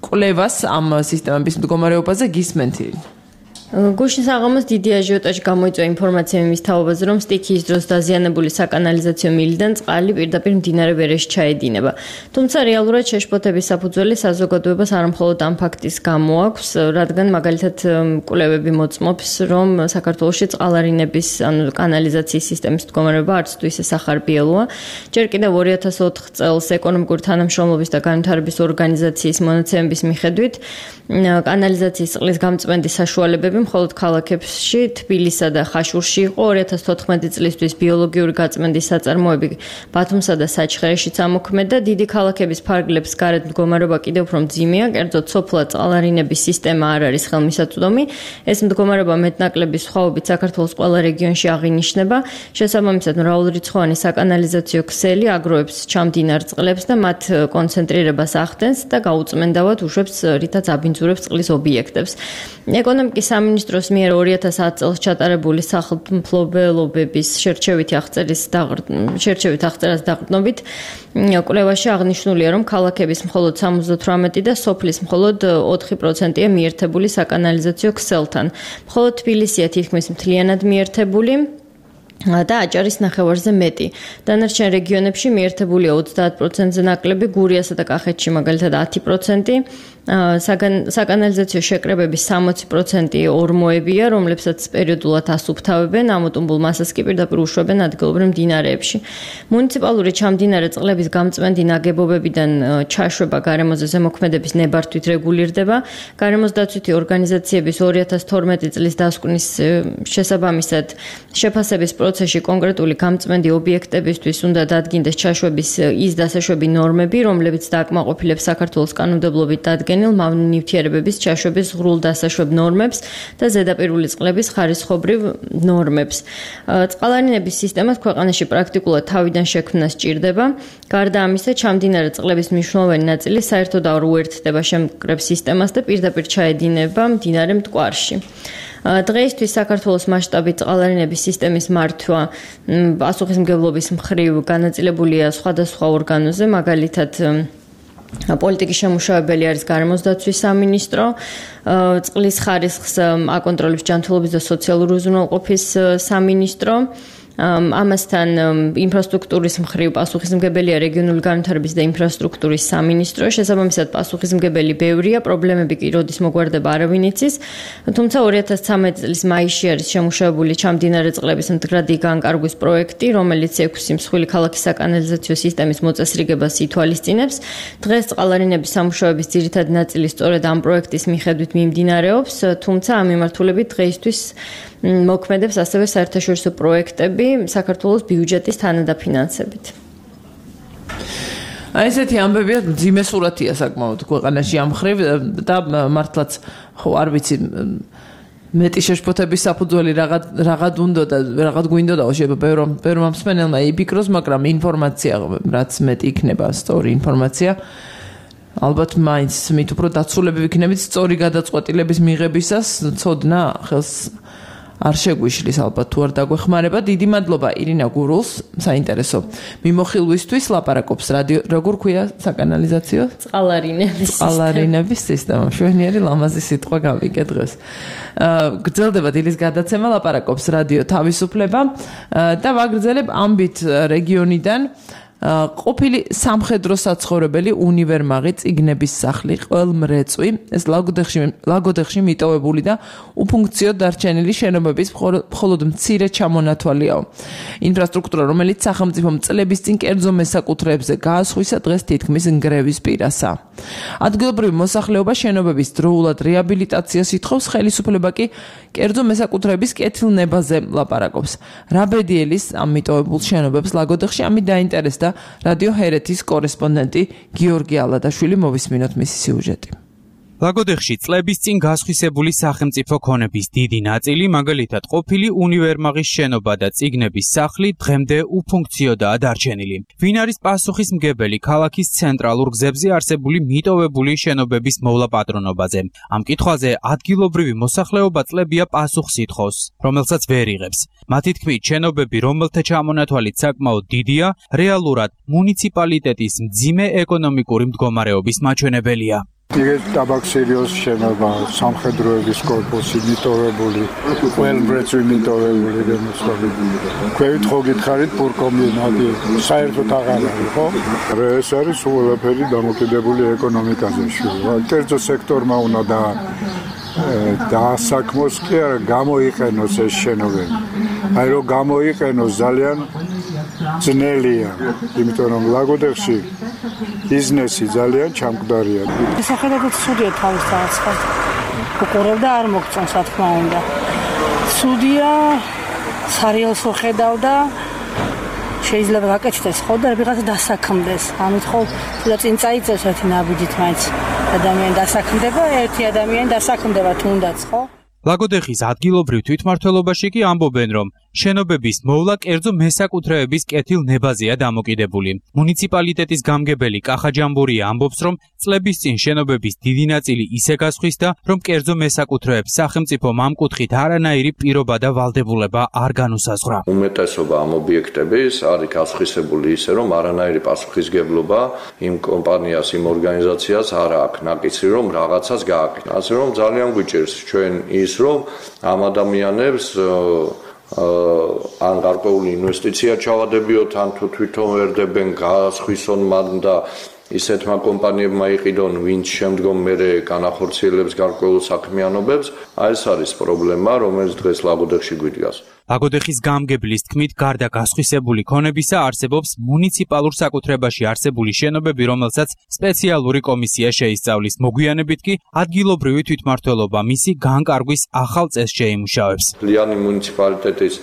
კვლევას ამ სისტემების მდგომარეობაზე გისმენთ. გუშინ საღამოს დიდი აჟიოტაჟი გამოიწვია ინფორმაცია იმის თაობაზე, რომ სტიქიის დროს დაზიანებული საკანალიზაციო მილიდან წყალი პირდაპირ მდინარე ვერეში ჩაედინება. თუმცა რეალურად შეშფოთების საფუძველი საზოგადოებას არ მხოლოდ ამ ფაქტის გამო აქვს, რადგან მაგალითად კვლევები მოწმობს, რომ საქართველოში წყალარინების, ანუ კანალიზაციის სისტემის მდგომარეობა არც თუ ისე სახარბიელოა. ჯერ კიდევ ორი ათას ოთხ წელს ეკონომიკური თანამშრომლობის და განვითარების ორგანიზაციის მონაცემების მიხედვით კანალიზაციის წყლის გამწვენდის საშუალებები მხოლოდ ქალაქებში, თბილისსა და ხაშურში იყო. ორი ათას თოთხმეტი წლისთვის ბიოლოგიური გაწმენდის საწარმოები ბათუმსა და საჩხერეშიც ამოქმედა. დიდი ქალაქების ფარგლებს გარეთ მდგომარეობა კიდევ უფრო მძიმეა, კერძოდ სოფლად წყალარინების სისტემა არ არის ხელმისაწვდომი. ეს მდგომარეობა მეტნაკლების სხვაობით საქართველოს ყველა რეგიონში აღინიშნება. შესაბამისად, მრავალრიცხოვანი საკანალიზაციო ქსელი აგროვებს ჩამდინარ წყლებს და მათ კონცენტრირებას ახდენს და გაუწმენდავად უშვებს, რითაც აბინძურებს წყლის ობიექტებს. ეკონომიკის სამინისტროს მიერ ორი ათას ათი წელს ჩატარებული სახელმფლობელობების შერჩევითი აღწერის შერჩევით აღწერას დაყრდნობით კვლევაში აღნიშნულია, რომ ქალაქების მხოლოდ სამოცდათვრამეტი და სოფლის მხოლოდ ოთხი პროცენტია მიერთებული საკანალიზაციო ქსელთან. მხოლოდ თბილისია თითქმის მთლიანად მიერთებული და აჭარის ნახევარზე მეტი. დანარჩენ რეგიონებში მიერთებულია ოცდაათ პროცენტზე ნაკლები, გურიასა და კახეთში მაგალითად ათი პროცენტი. საკანალიზაციო შეკრებების სამოცი პროცენტი ორმოებია, რომლებსაც პერიოდულად ასუფთავებენ, ამოტუმბულ მასას კი პირდაპირ უშვებენ ადგილობრივ მდინარეებში. მუნიციპალური ჩამდინარე წყლების გამწვენდი ნაგებობებიდან ჩაშვება გარემოზე ზემოქმედების ნებართვით რეგულირდება. გარემოს დაცვითი ორგანიზაციების ორი ათას თორმეტი წლის დასკვნის შესაბამისად შეფასების პროცესში კონკრეტული გამწვენდი ობიექტებისთვის უნდა დადგინდეს ჩაშვების ის დასაშვები ნორმები, რომლებიც დააკმაყოფილებს საქართველოს კანონმდებლობით დადგენილ წარმოუდგენელ ნივთიერებების ჩაშვების ღრულ დასაშვებ ნორმებს და ზედაპირული წყლების ხარისხობრივ ნორმებს. წყალარინების სისტემას ქვეყანაში პრაქტიკულად თავიდან შექმნა სჭირდება. გარდა ამისა, ჩამდინარე წყლების მნიშვნელოვანი ნაწილი საერთოდ არ უერთდება შემკრებ სისტემას და პირდაპირ ჩაედინება მდინარე მტკვარში. დღეისთვის საქართველოს მასშტაბით წყალარინების სისტემის მართვა პასუხისმგებლობის მხრივ განაწილებულია სხვადასხვა ორგანოზე, მაგალითად პოლიტიკის შემუშავებელი არის გარემოს დაცვის სამინისტრო, წყლის ხარისხს აკონტროლებს ჯანმრთელობის და სოციალური უზრუნველყოფის სამინისტრო, ამასთან ინფრასტრუქტურის მხრივ პასუხისმგებელია რეგიონული განვითარების და ინფრასტრუქტურის სამინისტრო. შესაბამისად პასუხისმგებელი ბევრია, პრობლემები კი როდის მოგვარდება არავინ იცის. თუმცა ორი ათას ცხრამეტი წლის მაისში არის შემუშავებული ჩამდინარე წყლების მდგრადი განკარგვის პროექტი, რომელიც ექვსი მსხვილი ქალაქის საკანალიზაციო სისტემის მოწესრიგებას ითვალისწინებს. დღეს წყალარინების სამუშაოების ძირითადი ნაწილი სწორედ ამ პროექტის მიხედვით მიმდინარეობს, თუმცა ამ მიმართულებით დღეისთვის მოქმედებს ასევე საერთაშორისო პროექტები საქართველოს ბიუჯეტის თანადაფინანსებით. აი ესეთი ამბებია, ძიმე სურათია საკმაოდ ქვეყანაში ამ მხრივ და მართლაც ხო არ ვიცი მეტი შეშფოთების საფუძველი რაღაც რაღაც უნდა და რაღაც გვინდოდა შეიძლება ბევრ ბევრ მსმენელმა იფიქროს, მაგრამ ინფორმაცია რაც მეტი იქნება სწორი ინფორმაცია ალბათ მაინც მით უფრო დაცულები ვიქნებით სწორი გადაწყვეტილების მიღებისას ცოდნა ხელს არ შეგვიშლის ალბათ თუ არ დაგვეხმარება. დიდი მადლობა ირინა გურულს, საინტერესო მიმოხილვისთვის. ლაპარაკობს რადიო, როგორ ქვია საკანალიზაციო? წყალარინების წყალარინების სისტემა. შვენიერი ლამაზი სიტყვა გავიგე დღეს. გრძელდება დილის გადაცემა, ლაპარაკობს რადიო თავისუფლება და ვაგრძელებ ამბით რეგიონიდან. ყოფილი სამხედრო საცხოვრებელი უნივერმაღი წიგნების სახლი ყველმრეწვი ეს ლაგოდეხში ლაგოდეხში მიტოვებული და უფუნქციო დარჩენილი შენობების მხოლოდ მცირე ჩამონათვალიაო. ინფრასტრუქტურა, რომელიც სახელმწიფო წლების წინ კერძო მესაკუთრეებზე გაასხვისა, დღეს თითქმის ნგრევის პირასა. ადგილობრივი მოსახლეობა შენობების დროულად რეაბილიტაციას ითხოვს, ხელისუფლება კი კერძო მესაკუთრეების კეთილნებაზე ლაპარაკობს. რაბედიელის ამ მიტოვებულ შენობებს ლაგოდეხში ამით დაინტერესდა რადიო ჰერეთის კორესპონდენტი გიორგი ალადაშვილი. მოვისმინოთ მისი სიუჟეტი. ლაგოდეხში წლების წინ გასხვისებული სახელმწიფო ქონების დიდი ნაწილი, მაგალითად ყოფილი უნივერმაღის შენობა და წიგნების სახლი დღემდე უფუნქციოდაა დარჩენილი. ვინ არის პასუხისმგებელი ქალაქის ცენტრალურ გზებზე არსებული მიტოვებული შენობების მოვლა პატრონობაზე? ამ კითხვაზე ადგილობრივი მოსახლეობა წლებია პასუხს ითხოვს, რომელსაც ვერ იღებს. მათი თქმით, შენობები, რომელთა ჩამონათვალით საკმაოდ დიდია, რეალურად მუნიციპალიტეტის მძიმე ეკონომიკური მდგომარეობის მაჩვენებელია. იგივე ტაბაქსერიოს შენობა, სამხედროების კორპუსი მიტოვებული, ყველმრეწვი მიტოვებული რემოსები. ქვევით ხო გითხარით პურკომბინატი, საერთოდ აღარ არის, ხო? ეს არის ყველაფერი დამოკიდებული ეკონომიკაზე შუა. კერძო სექტორმა უნდა და დაასაქმოს კი არა გამოიყენოს ეს შენობები. აი რომ გამოიყენოს ძალიან ძნელია, იმიტომ რომ ლაგოდეხში ბიზნესი ძალიან ჩამკვდარია. სახედადაც სუდია თავის დააცხად. უყურებ და არ მოგწონს, რა თქმა უნდა. სუდია სარიელს ხედავდა შეიძლება გაკეთდეს ხო და ვიღაცა დასაქმდეს. ამით ხო თუნდაც წინ წაიწევს ერთი ნაბიჯით მაინც ადამიანი დასაქმდება, ერთი ადამიანი დასაქმდება თუნდაც ხო? ლაგოდეხის ადგილობრივ თვითმმართველობაში კი ამბობენ, რომ შენობების მოვლა კერძო მესაკუთრეების კეთილნებაზეა დამოკიდებული. მუნიციპალიტეტის გამგებელი კახა ჯამბურია ამბობს, რომ წლების წინ შენობების დიდი ნაწილი ისე გასხვისდა, რომ კერძო მესაკუთრეებს სახელმწიფომ ამ კუთხით არანაირი პირობა და ვალდებულება არ განუსაზღვრა. უმეტესობა ამ ობიექტების არის გასხვისებული ისე, რომ არანაირი პასუხისგებლობა იმ კომპანიას, იმ ორგანიზაციას არ აქვს ნაკიცი, რომ რაღაცას გააკეთა. ასე რომ ძალიან გვიჭირს ჩვენ ის, რომ ამ ადამიანებს ან გარკვეული ინვესტიცია ჩავადებიოთ, ან თუ თვითონ ვერდებენ გასხვისონ მან და ისეთმა კომპანიებმა იყიდონ, ვინც შემდგომ მერე განახორციელებს გარკვეულ საქმიანობებს. აი ეს არის პრობლემა, რომელიც დღეს ლაგოდეხში გვიდგას. ლაგოდეხის გამგებლის თქმით, გარდა გასხვისებული ქონებისა, არსებობს მუნიციპალურ საკუთრებაში არსებული შენობები, რომელსაც სპეციალური კომისია შეისწავლის. მოგვიანებით კი ადგილობრივი თვითმმართველობა მისი განკარგვის ახალ წესს შეიმუშავებს. ლიანი მუნიციპალიტეტის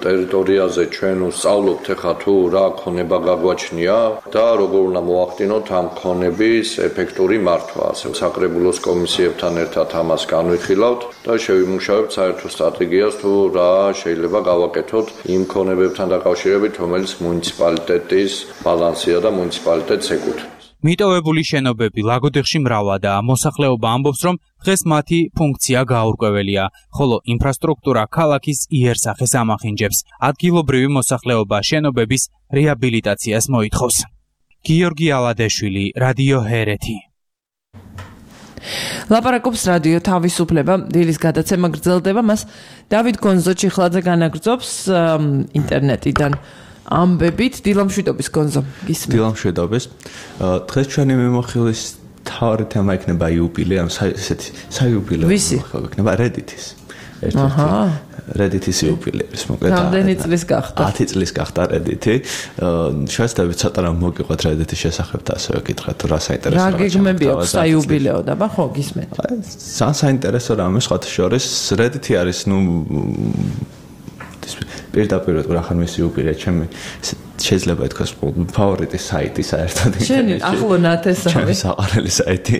ტერიტორიაზე ჩვენ ვსწავლობთ ახლა თუ რა ქონება გაგვაჩნია და როგორ უნდა მოახდინოთ ამ ქონების ეფექტური მართვა. ასე საკრებულოს კომისიებთან ერთად ამას განვიხილავთ და შევიმუშავებთ საერთო სტრატეგიას თუ რა შეიძლება გავაკეთოთ იმ ქონებებთან დაკავშირებით, რომელიც მუნიციპალიტეტის ბალანსია და მუნიციპალიტეტს ეკუთვნის. მიტოვებული შენობები ლაგოდეხში მრავლადაა. მოსახლეობა ამბობს, რომ დღეს მათი ფუნქცია გაურკვეველია, ხოლო ინფრასტრუქტურა ქალაქის იერსახეს ამახინჯებს. ადგილობრივი მოსახლეობა შენობების რეაბილიტაციას მოითხოვს. გიორგი ალადეშვილი, რადიო ჰერეთი. ლაპარაკობს რადიო თავისუფლება, დილის გადაცემა გრძელდება, მას დავით გონზო ჩიხლაძე განაგრძობს ინტერნეტიდან. ამბებით დილამშვიდობის გონზო გისმენთ. დილამშვიდობის. დღეს ჩვენი მიმოხილვის თავი თემა იქნება იუბილე, ამ ესეთი საიუბილეო მიმოხილვა იქნება Reddit-ის. აჰა. Reddit-ის იუბილეის მოკლედ. რამდენი წლის გახდა? ათი წლის გახდა Reddit-ი. შეესწავლეთ ცოტა რამ მოგიყვეთ Reddit-ის შესახებ და ასევე გითხრათ თუ რა საინტერესო რა გეგმები აქვს საიუბილეო და ხო გისმენთ. ძალიან საინტერესო რამე სხვათა შორის Reddit-ი არის ნუ პირდაპირ რა ხარ მისი იუბილე ჩემი შეიძლება ითქვას ფავორიტი საიტი საერთოდ შენი ახლონათ ეს არის ჩემი საყვარელი საიტი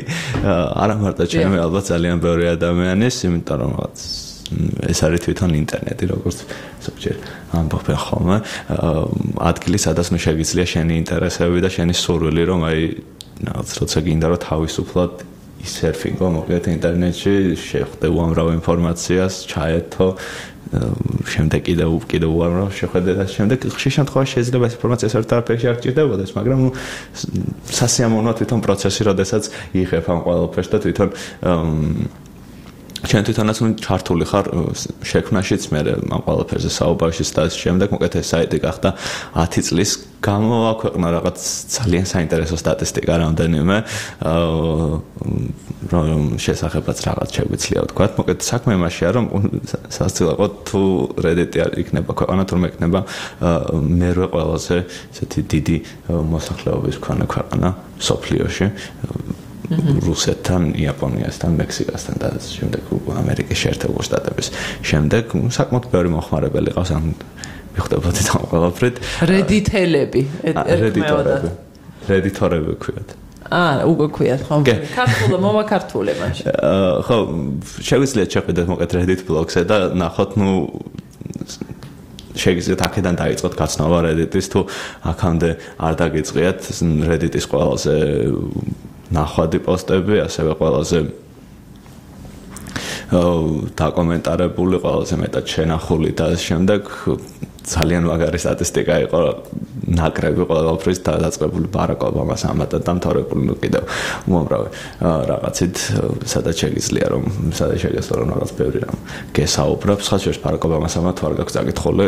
არა მარტო ჩემი ალბათ ძალიან ბევრი ადამიანის იმიტომ რომ ეს არის თვითონ ინტერნეტი როგორც ზოგჯერ ამბობენ ხოლმე ადგილი სადაც ნუ შეგიძლია შენი ინტერესები და შენი სურვილი რომ აი რაღაც როცა გინდა რომ თავისუფლად სერფინგო მოგეთ ინტერნეტში შეხვდე უამრავ ინფორმაციას ჩაერთო შემდეგ კიდევ კიდევ უამრავ შეხვედრა და შემდეგ ხშირ შემთხვევაში შეიძლება ეს ინფორმაცია საერთოდ არაფერში არ გჭირდებოდეს მაგრამ ნუ სასიამოვნოა თვითონ პროცესი როდესაც იღებ ამ ყველაფერს და თვითონ ჩვენ თვითონაც ნუ ჩართული ხარ შექმნაშიც მე ამ ყველაფერზე საუბარში და შემდეგ მოკეთ ეს საიტი გახდა ათი წლის გამოაქვეყნა რაღაც ძალიან საინტერესო სტატისტიკა რამდენიმე რომ შესახებაც რაღაც შეგვიძლია ვთქვა მოკეთ საქმე იმაშია რომ სასწრაფო თუ Reddit-ი იქნება ქვეყანა თურმე იქნება მერვე ყველაზე ესეთი დიდი მოსახლეობის მქონე ქვეყანა სოფლიოში რუსეთთან, იაპონიასთან, მექსიკასთან და შემდეგ ამერიკის შეერთებულ შტატების. შემდეგ საკმაოდ ბევრი მოხმარებელი ყავს ამ მიხვდებოდით ამ ყველაფრით. Reddit-ელები, Reddit-ორები. Reddit-ორები ქვიათ. აა, უკვე ქვიათ, ხო? ქართულად მოვა ქართულად მაშინ. ხო, შეგვიძლია შეხვიდეთ მოკეთ Reddit blog-ზე და ნახოთ, ნუ შეგიძლიათ აქედან დაიწყოთ გაცნობა Reddit-ის თუ აქამდე არ დაგიწყიათ Reddit-ის ყველაზე ნახვადი პოსტები, ასევე ყველაზე დაკომენტარებული, ყველაზე მეტად შენახული და შემდეგ ძალიან მაგარი სტატისტიკა იყო ნაკრები ყველაფრის დაწყებული ბარაკ ობამას ამათად დამთავრებული ნუ კიდევ უამრავი რაღაცით სადაც შეგიძლია რომ სადაც შეგეძლო რომ რაღაც ბევრი რამ გესაუბრებს ხა შორის ბარაკ ობამას ამათ ვარ გაქვს წაკითხული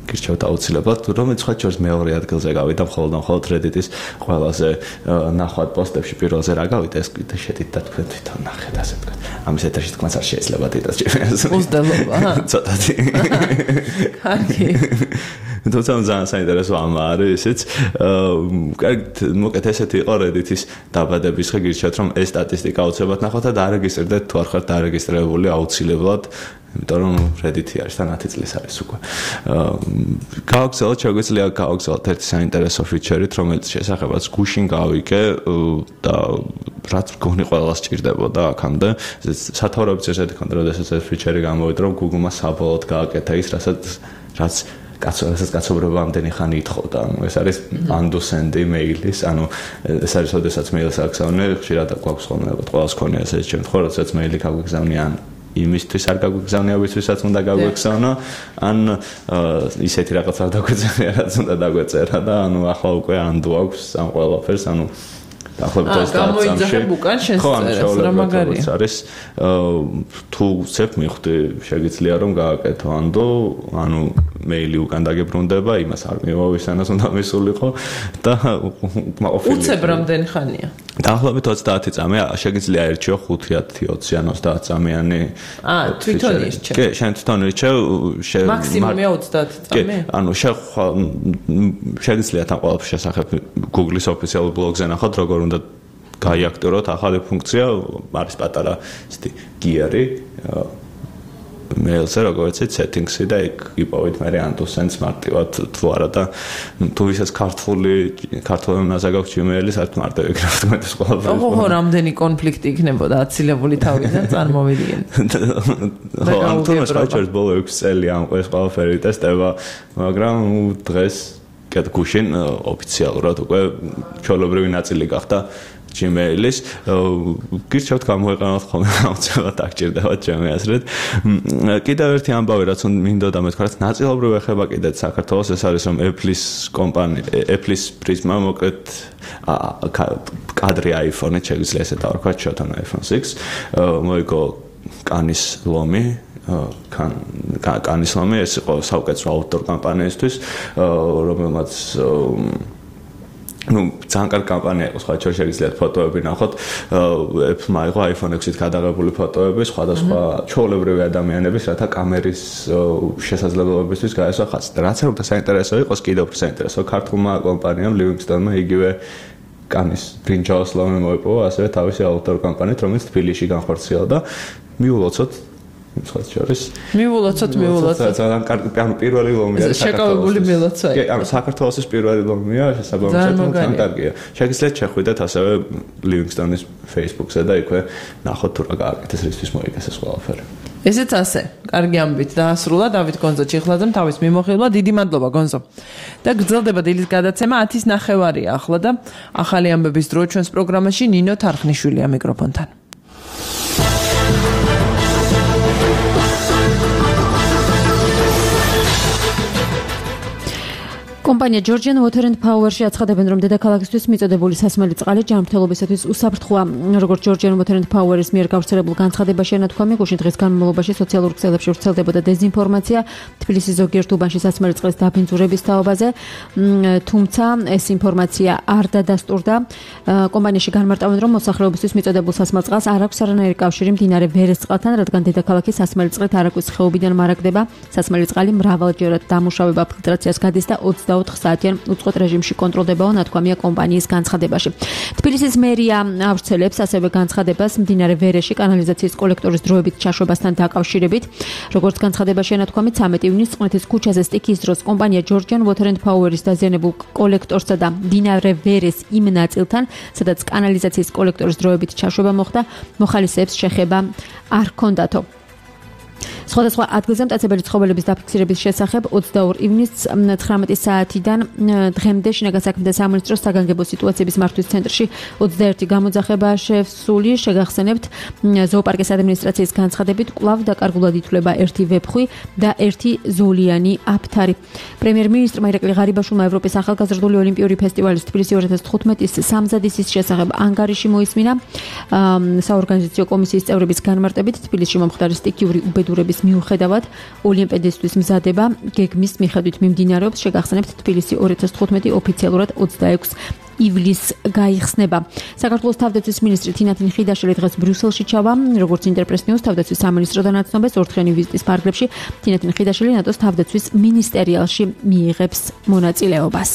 გირჩევთ აუცილებლად რომელიც სხვა შორის მეორე ადგილზე გავიდა მხოლოდ მხოლოდ Reddit-ის ყველაზე ნახვად პოსტებში პირველზე რა გავიდა ეს კიდე შედით და თქვენ თვითონ ნახეთ ასე თქვა ამის ეთერში თქმაც არ შეიძლება დიდას ჩემს უზდელობა ცოტათი კარგი თუმცა ძალიან საინტერესო ამ არის ისიც კარგი მოკეთ ესეთი იყო Reddit-ის დაბადების ხე გირჩევთ რომ ეს სტატისტიკა აუცილებლად ნახოთ და დარეგისტრდეთ თუ არ ხართ დარეგისტრირებული აუცილებლად იმიტომ რომ Reddit-ი არის თან ათი წლის არის უკვე. გავაგზავნოთ შეგვიძლია გავაგზავნოთ ერთი საინტერესო ფიჩერით, რომელიც შესახებაც გუშინ გავიკე და რაც გონი ყველას ჭირდებოდა აქამდე. სათაურებიც ესეთი ქონდა, როდესაც ეს ფიჩერი გამოვიდა, რომ Google-მა საბოლოოდ გააკეთა ის, რასაც რაც კაცობრიობას კაცობრიობა ამდენი ხანი ითხოვდა. ანუ ეს არის undo-send email-ის, ანუ ეს არის როდესაც მეილს აგზავნე, ხშირად გვაქვს ხოლმე ყველას ქონია ეს შემთხვევა, როდესაც მეილი გაგვიგზავნე ან იმისთვის არ გაგვიგზავნია, ვისთვისაც უნდა გაგვიგზავნო, ან ისეთი რაღაცა დაგვეწერა, რაც უნდა დაგვეწერა და ანუ ახლა უკვე undo აქვს ამ ყველაფერს, ანუ დაახლოებით ოცდაათ წამში. ხო, ამ შეულებრივად არის თუ ცებ მიხდი შეგიძლია რომ გააკეთო ანდო, ანუ მეილი უკან დაგებრუნდება, იმას არ მივა ვისანას უნდა მისულიყო და მაყოფილი. უცებ რამდენი ხანია? დაახლოებით ოცდაათი წამი, შეგიძლია ერჩიო ხუთი, ათი, ოცი ან ოცდაათ წამიანი. აა, თვითონ ირჩევ. კი, შენ თვითონ ირჩევ. მაქსიმუმია ოცდაათი წამი? კი, ანუ შეგიძლიათ ამ ყველაფრის შესახებ Google-ის ოფიციალურ ბლოგზე ნახოთ, როგორ უნდა გაიაქტიუროთ ახალი ფუნქცია, არის პატარა ისეთი გიარი mail-ზე, როგორც იცით, settings-ი და იქ იპოვეთ მე ანტუ sense მარტივად თუ არა და თუ ვისაც ქართული ქართული ენაზე გაქვს Gmail-ი, საერთოდ მარტო ეკრანს მეტის ყველაფერი. ხო, ხო, რამდენი კონფლიქტი იქნებოდა აცილებული თავიდან წარმოვიდნენ. ხო, ამ თემას ვაჭერთ ბოლო ექვსი წელი ამ ყველაფერი ტესტება, მაგრამ დღეს კეთ გუშინ ოფიციალურად უკვე ჩვეულებრივი ნაწილი გახდა Gmail-ის. გირჩევთ გამოიყენოთ ხოლმე აუცილებლად აღჭირდებათ ჩემი აზრით. კიდევ ერთი ამბავი რაც მინდოდა მეთქვა, რაც ნაწილობრივ ეხება კიდეც საქართველოს, ეს არის რომ Apple-ის კომპანია, Apple-ის პრიზმა მოკლედ კადრი iPhone-ით შეგვიძლია ესე დავარქვათ შოთან iPhone six, მოიგო კანის ლომი კან კანის ლომი, ეს იყო საუკეთესო აუთდორ კამპანიისთვის, რომელმაც ну, ძალიან კარგი კამპანია იყო, სხვა შეგიძლიათ ფოტოები ნახოთ. Apple-მა იყო iPhone six-ით გადაღებული ფოტოები სხვადასხვა ჩვეულებრივი ადამიანების, რათა კამერის შესაძლებლობებისთვის გაესვა ხაზი. რაც რომ საინტერესო იყოს, კიდევ უფრო საინტერესო ქართულმა კომპანიამ Livingston-მა იგივე კანის ბრინჯაოს ლომი მოიპოვა, ასევე თავისი აუთდორ კამპანიით, რომელიც თბილისში განხორციელდა. მიულოცოთ მსხვერპლ შორის. მიულოცოთ, მიულოცოთ. ძალიან კარგი, ანუ პირველი ლომი არის შეკავებული მილოცვა. კი, ანუ საქართველოს პირველი ლომია, შესაბამისად ძალიან კარგია. შეგიძლიათ შეხვიდეთ ასევე Livingston-ის Facebook-ზე და იქვე ნახოთ თუ რა გააკეთეს, რისთვის მოიგეს ყველაფერი. ესეც ასე. კარგი ამბით დაასრულა დავით გონზო ჩიხლაძემ თავის მიმოხილვა. დიდი მადლობა გონზო. და გრძელდება დილის გადაცემა ათის ნახევარია ახლა და ახალი ამბების დრო ჩვენს პროგრამაში ნინო თარხნიშვილია მიკროფონთან. კომპანია Georgian Water and Power-ში აცხადებენ, რომ დედაქალაქისთვის მიწოდებული სასმელი წყალი ჯანმრთელობისათვის უსაფრთხოა. როგორც Georgian Water and Power-ის მიერ გავრცელებულ განცხადებაში ენათქვამი, გუშინ დღის განმავლობაში სოციალურ ქსელებში ვრცელდებოდა დეზინფორმაცია თბილისის ზოგიერთ უბანში სასმელი წყლის დაბინძურების თაობაზე, თუმცა ეს ინფორმაცია არ დადასტურდა. კომპანიაში განმარტავენ, რომ მოსახლეობისთვის მიწოდებულ სასმელ წყალს არ აქვს არანაირი კავშირი მდინარე ვერეს წყალთან, რადგან დედაქალაქი სასმელი წყლით არაგვის ხეობიდან მარაგდება. სასმელი წყალი მრავალჯერად დამუშავება ფილტრაციას გადის და ოცდაოთხ საათიან უწყოთ რეჟიმში კონტროლდებაო, ნათქვამია კომპანიის განცხადებაში. თბილისის მერია ავრცელებს ასევე განცხადებას მდინარე ვერეში კანალიზაციის კოლექტორის დროებით ჩაშვებასთან დაკავშირებით. როგორც განცხადებაში ენათქვამით, ცამეტი ივნისს წყნეთის ქუჩაზე სტიქის დროს კომპანია Georgian Water and Power-ის დაზიანებულ კოლექტორსა და მდინარე ვერეს იმ ნაწილთან, სადაც კანალიზაციის კოლექტორის დროებით ჩაშვება მოხდა, მოხალისეებს შეხება არ ჰქონდათო. სხვადასხვა ადგილზე მტაცებელი ცხოველების დაფიქსირების შესახებ ოცდაორი ივნისს ცხრამეტი საათიდან დღემდე შინაგან საქმეთა სამინისტროს საგანგებო სიტუაციების მართვის ცენტრში ოცდაერთი გამოძახებაა შესული. შეგახსენებთ, ზოოპარკის ადმინისტრაციის განცხადებით კვლავ დაკარგულად ითვლება ერთი ვეფხვი და ერთი ზოლიანი აფთარი. პრემიერ-მინისტრმა ირაკლი ღარიბაშვილმა ევროპის ახალგაზრდული ოლიმპიური ფესტივალის თბილისი ორი ათას თხუთმეტის სამზადისის შესახებ ანგარიში მოისმინა. საორგანიზაციო კომისიის წევრების განმარტებით თბილისში მომხდარი სტიქიური უბედურების მიუხედავად ოლიმპიადისთვის მზადება გეგმის მიხედვით მიმდინარეობს. შეგახსენებთ, თბილისი ორი ათას თხუთმეტი ოფიციალურად ოცდაექვსი ივლისს გაიხსნება. საქართველოს თავდაცვის მინისტრი თინათინ ხიდაშვილი დღეს ბრიუსელში ჩავა. როგორც ინტერპრეს ნიუს თავდაცვის სამინისტროდან აცნობეს, ორთქიანი ვიზიტის ფარგლებში თინათინ ხიდაშვილი ნატოს თავდაცვის მინისტერიალში მიიღებს მონაწილეობას.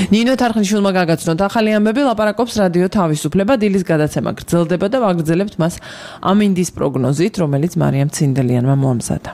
ნინო თარხნიშვილმა გაგაცნოთ ახალი ამბები, ლაპარაკობს რადიო თავისუფლება. დილის გადაცემა გრძელდება და ვაგრძელებთ მას ამინდის პროგნოზით, რომელიც მარიამ ცინდელიანმა მოამზადა.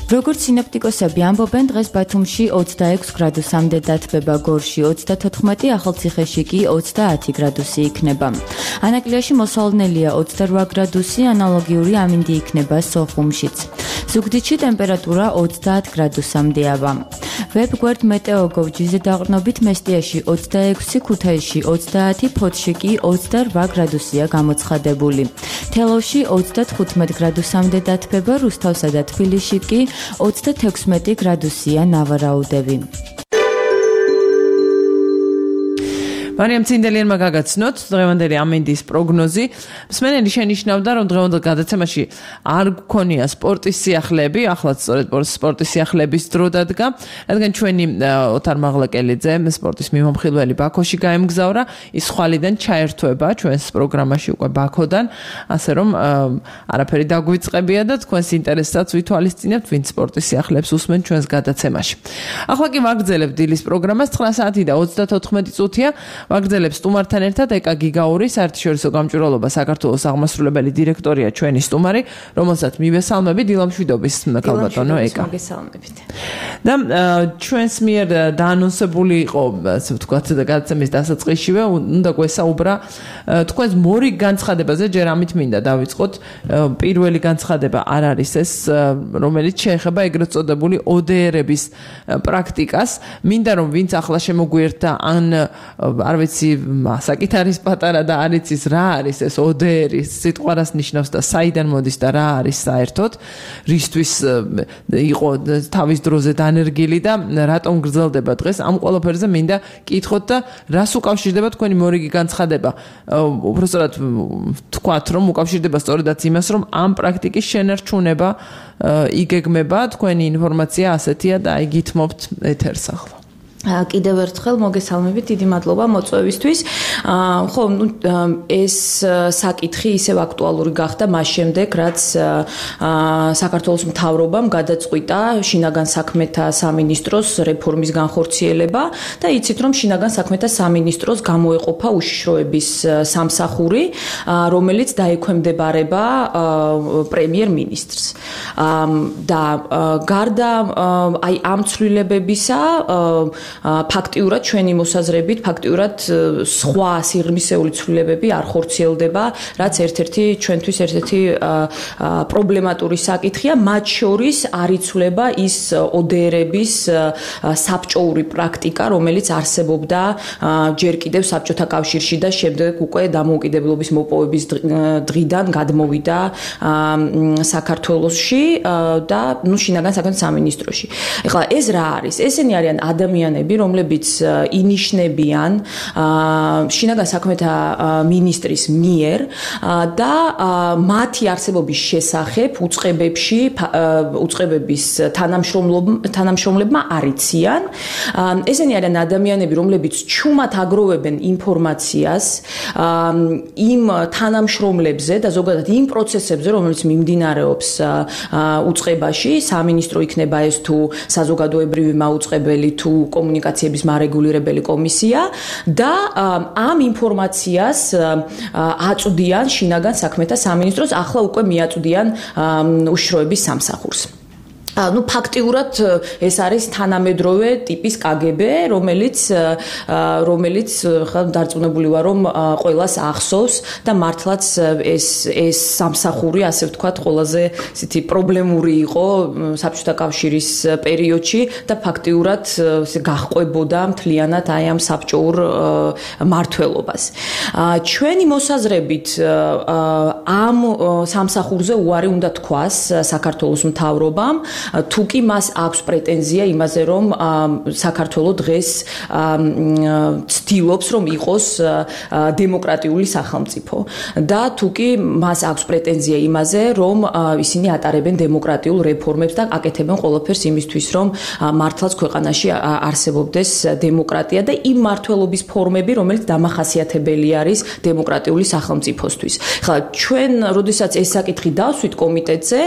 როგორც სინოპტიკოსები ამბობენ, დღეს ბათუმში ოცდაექვსი გრადუსამდე დათბება, გორში ოცდათოთხმეტი, ახალციხეში კი ოცდაათი გრადუსი იქნება. ანაკლიაში მოსალოდნელია ოცდარვა გრადუსი, ანალოგიური ამინდი იქნება სოხუმშიც. ზუგდიდში ტემპერატურა ოცდაათ გრადუსამდეა. ვებგვერდ მეტეოგოვ.gz-ზე დაყრდნობით მესტიაში ოცდაექვსი, ქუთაისში ოცდაათი, ფოთში კი ოცდარვა გრადუსია გამოცხადებული. თელავში ოცდათხუთმეტი გრადუსამდე დათბება, რუსთავსა და თბილისში კი ოცდათექვსმეტი გრადუსია ნავარაუდები. მარიამ ცინდელიანმა გაგაცნოთ დღევანდელი ამინდის პროგნოზი. მსმენელი შენიშნავდა, რომ დღევანდელ გადაცემაში არ გქონია სპორტის სიახლეები, ახლაც სწორედ სპორტის სიახლეების დრო დადგა, რადგან ჩვენი ოთარ მაღლაკელიძე, სპორტის მიმომხილველი ბაქოში გაემგზავრა, ის ხვალიდან ჩაერთვება ჩვენს პროგრამაში უკვე ბაქოდან, ასე რომ არაფერი დაგვიწყებია და თქვენს ინტერესსაც ვითვალისწინებთ, ვინც სპორტის სიახლეებს უსმენ ჩვენს გადაცემაში. ახლა კი ვაგრძელებთ დილის პროგრამას, ცხრა საათი და ოცდათოთხმეტი წუთია. ვაგრძელებს სტუმართან ერთად ეკა გიგაური, საერთაშორისო გამჭვირვალობა საქართველოს აღმასრულებელი დირექტორია ჩვენი სტუმარი, რომელსაც მივესალმები დილამშვიდობის ქალბატონო ეკა. მოგესალმებით. და ჩვენს მიერ დაანონსებული იყო, ასე ვთქვათ, გადაცემის დასაწყისშივე, უნდა გვესაუბრა თქვენს მორიგ განცხადებაზე, ჯერ ამით მინდა დავიწყოთ. პირველი განცხადება არ არის ეს, რომელიც შეეხება ეგრეთ წოდებული O D R-ების პრაქტიკას. მინდა რომ ვინც ახლა შემოგვიერთდა, ან არ ვიცი, საკით არის პატარა და არ იცის რა არის ეს O D R-ი, სიტყვა რას ნიშნავს და საიდან მოდის და რა არის საერთოდ, რისთვის იყო თავის დროზე დანერგილი და რატომ გრძელდება დღეს, ამ ყველაფერზე მინდა კითხოთ და რას უკავშირდება თქვენი მორიგი განცხადება. უბრალოდ თქვათ, რომ უკავშირდება სწორედაც იმას, რომ ამ პრაქტიკის შენარჩუნება იგეგმება, თქვენი ინფორმაცია ასეთია და აი გითმობთ ეთერს ახლა. კიდევ ერთხელ მოგესალმებით, დიდი მადლობა მოწვევისთვის. ხო, ნუ ეს საკითხი ისევ აქტუალური გახდა მას შემდეგ, რაც საქართველოს მთავრობამ გადაწყვიტა შინაგან საქმეთა სამინისტროს რეფორმის განხორციელება და იცით, რომ შინაგან საქმეთა სამინისტროს გამოეყოფა უშიშროების სამსახური, რომელიც დაექვემდებარება პრემიერ-მინისტრს. და გარდა აი ამ ცვლილებებისა ფაქტიურად ჩვენი მოსაზრებით, ფაქტიურად სხვა სიღრმისეული ცვლილებები არ ხორციელდება, რაც ერთ-ერთი ჩვენთვის ერთ-ერთი პრობლემატური საკითხია, მათ შორის არ იცვლება ის O D R-ების საბჭოური პრაქტიკა, რომელიც არსებობდა ჯერ კიდევ საბჭოთა კავშირში და შემდეგ უკვე დამოუკიდებლობის მოპოვების დღიდან გადმოვიდა საქართველოში და ნუ შინაგან საქმეთა სამინისტროში. ეხლა ეს რა არის? ესენი არიან ადამიანები, რომლებიც ინიშნებიან შინაგან საქმეთა მინისტრის მიერ და მათი არსებობის შესახებ უწყებებში უწყებების თანამშრომლებმა არიციან. ესენი არიან ადამიანები, რომლებიც ჩუმად აგროვებენ ინფორმაციას იმ თანამშრომლებზე და ზოგადად იმ პროცესებზე, რომელიც მიმდინარეობს უწყებაში, სამინისტრო იქნება ეს თუ საზოგადოებრივი მაუწყებელი თუ კომუნიკაციების მარეგულირებელი კომისია და ამ ინფორმაციას აწვდიან შინაგან საქმეთა სამინისტროს, ახლა უკვე მიაწვდიან უშიშროების სამსახურს. ну ფაქტიურად ეს არის თანამედროვე ტიპის K G B, რომელიც რომელიც ხა დარწმუნებული ვარ, რომ ყველას ახსოვს და მართლაც ეს ეს სამსახური, ასე ვთქვათ, ყველაზე ისეთი პრობლემური იყო საბჭოთა კავშირის პერიოდში და ფაქტიურად გაჰყვებოდა მთლიანად აი ამ საბჭოურ მართლობას. ჩვენი მოსაზრებით ამ სამსახურზე უარი უნდა თქვას საქართველოს მთავრობამ, თუ კი მას აქვს პრეტენზია იმაზე, რომ საქართველო დღეს ცდილობს, რომ იყოს დემოკრატიული სახელმწიფო და თუ კი მას აქვს პრეტენზია იმაზე, რომ ისინი ატარებენ დემოკრატიულ რეფორმებს და აკეთებენ ყველაფერს იმისთვის, რომ მართლაც ქვეყანაში არსებობდეს დემოკრატია და იმ მართლობის ფორმები, რომელიც დამახასიათებელი არის დემოკრატიული სახელმწიფოსთვის. ხა ჩვენ, როდესაც ეს საკითხი დავსვით კომიტეტზე,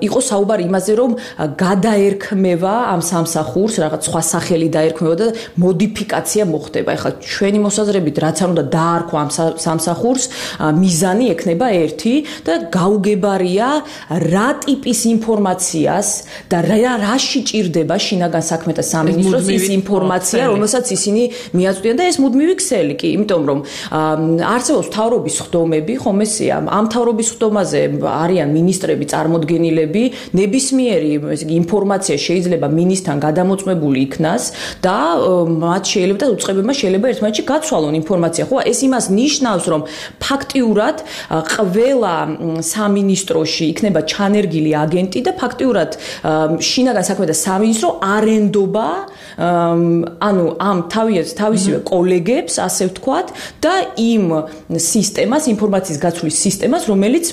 იყო საუბარი იმაზე, რომ გადაერქმევა ამ სამსახურს, რაღაც სხვა სახელი დაერქმევა და მოდიფიკაცია მოხდება. ეხლა ჩვენი მოსაზრებით, რაც არ უნდა დაარქვა ამ სამსახურს, მიზანი ექნება ერთი და გაუგებარია რა ტიპის ინფორმაციას და რაში ჭირდება შინაგან საქმეთა სამინისტროს ის ინფორმაცია, რომელსაც ისინი მიაწვდიან და ეს მუდმივი ქსელი კი, იმიტომ რომ არსებობს მთავრობის ხდომები, ხომ ესეა, ამ მთავრობის ხდომაზე არიან მინისტრები, წარმოდგენილები, ნებისმიერი ინფორმაცია შეიძლება მინისტრთან გადამოწმებული იქნას და მათ შეიძლება და უწყებებმა შეიძლება ერთმანეთში გაცვალონ ინფორმაცია. ხო, ეს იმას ნიშნავს, რომ ფაქტიურად ყველა სამინისტროში იქნება ჩანერგილი აგენტი და ფაქტიურად შინაგან საქმეთა სამინისტრო არენდობა ანუ ამ თავისივე კოლეგებს, ასე ვთქვათ, და იმ სისტემას, ინფორმაციის გაცვლის სისტემას, რომელიც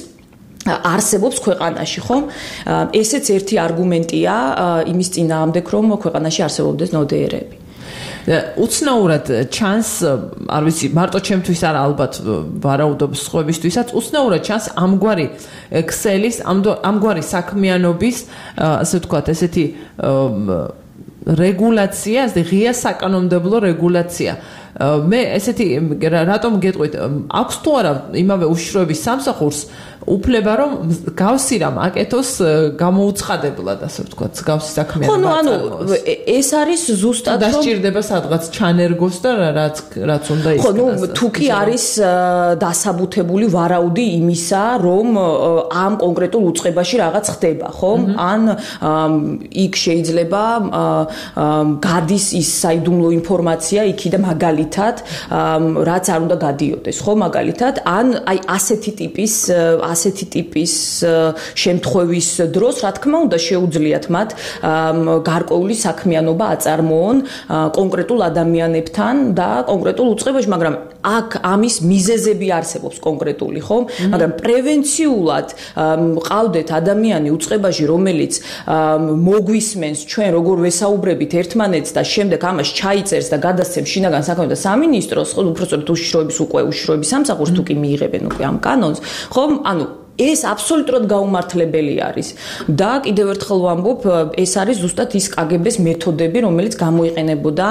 არსებობს ქვეყანაში, ხომ? ესეც ერთი არგუმენტია იმის წინააღმდეგ, რომ ქვეყანაში არსებობდეს ნოდერები. უცნაურად ჩანს, არ ვიცი, მარტო ჩემთვის არა, ალბათ ვარაუდობ სხვებისთვისაც, უცნაურად ჩანს ამგვარი ქსელის, ამგვარი საქმიანობის, ასე ვთქვათ, ესეთი რეგულაცია, ასე ღია საკანონმდებლო რეგულაცია. მე ესეთი რატომ გეტყვით, აქვს თუ არა იმავე უშიშროების სამსახურს უფლება რომ გავსი რამ აკეთოს გამოუცხადებლად, ასე ვთქვათ, გავსი საქმიანი. ხო, ნუ ანუ ეს არის ზუსტად რომ დასჭირდება სადღაც ჩანერგოს და რაც რაც უნდა ის. ხო, ნუ თუ კი არის დასაბუთებული ვარაუდი იმისა, რომ ამ კონკრეტულ უწყებაში რაღაც ხდება, ხომ? ან იქ შეიძლება გადის ის საიდუმლო ინფორმაცია იქიდან მაგალითად, რაც არ უნდა გადიოდეს, ხო, მაგალითად, ან აი ასეთი ტიპის ასეთი ტიპის შემთხვევის დროს, რა თქმა უნდა, შეუძლიათ მათ გარკვეული საქმიანობა აწარმოონ კონკრეტულ ადამიანებთან და კონკრეტულ უწყებაში, მაგრამ აქ ამის მიზეზები არსებობს კონკრეტული, ხო? მაგრამ პრევენციულად ყავდეთ ადამიანი უწყებაში, რომელიც მოგვისმენს ჩვენ როგორ ვესაუბრებით ერთმანეთს და შემდეგ ამას ჩაიწერს და გადასცემს შინაგან საქმეთა სამინისტროს, ხო, უпростоროდ უშიშროების უკვე უშიშროების სამსახურს თუ კი მიიღებენ უკვე ამ კანონს, ხო? ანუ ეს აბსოლუტურად გაუმართლებელი არის და კიდევ ერთხელ ვამბობ, ეს არის ზუსტად ის კაგებეს მეთოდები, რომელიც გამოიყენებოდა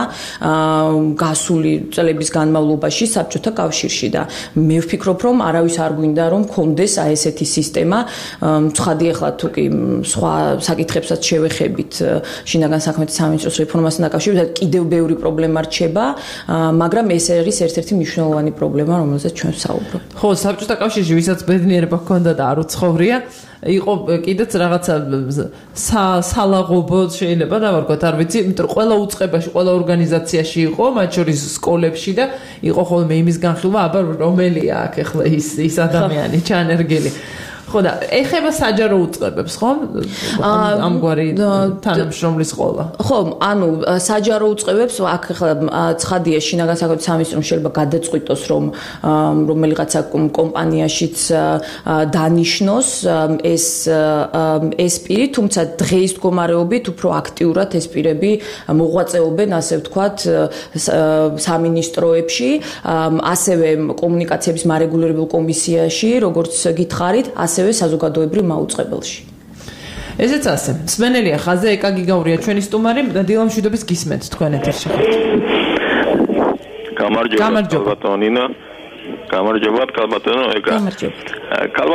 გასული წლების განმავლობაში საბჭოთა კავშირში და მე ვფიქრობ, რომ არავის არ გვინდა რომ კონდეს აი ესეთი სისტემა. ცხადი ახლა თუ კი სხვა საკითხებსაც შევეხებით შინაგან საქმეთა სამინისტროს რეფორმასთან დაკავშირებით, კიდევ ბევრი პრობლემა რჩება, მაგრამ ეს არის ერთ-ერთი მნიშვნელოვანი პრობლემა, რომელზეც ჩვენ ვსაუბრობთ. ხო, საბჭოთა კავშირში ვისაც ბედნიერება ჰქონდა და არ უცხოვრია, იყო კიდეც რაღაცა სალაღობო შეიძლება დავარქვათ, არ ვიცი, იმიტომ რომ ყველა უწყებაში, ყველა ორგანიზაციაში იყო, მათ შორის სკოლებში და იყო ხოლმე იმის განხილვა, აბა რომელია აქ ახლა ის ის ადამიანი ჩანერგილი. ხო და ეხება საჯარო უწყებებს, ხო? ამგვარი თანამშრომლის ყოლა. ხო, ანუ საჯარო უწყებებს აქ ახლა ცხადია შინაგან საქმეთა სამინისტრომ შეიძლება გადაწყვიტოს, რომ რომელიღაცა კომპანიაშიც დანიშნოს ეს ეს პირი, თუმცა დღეის მდგომარეობით უფრო აქტიურად ეს პირები მოღვაწეობენ, ასე ვთქვათ, სამინისტროებში, ასევე კომუნიკაციების მარეგულირებულ კომისიაში, როგორც გითხარით, ასევე საზოგადოებრივ მაუწყებელში. ესეც ასე. მსმენელია ხაზე ეკა გიგაურია ჩვენი სტუმარი და დილამშვიდობის გისმენთ თქვენ ეთერში. გამარჯობა ბატონო ნინა. გამარჯობა ბატონო ეკა. გამარჯობა.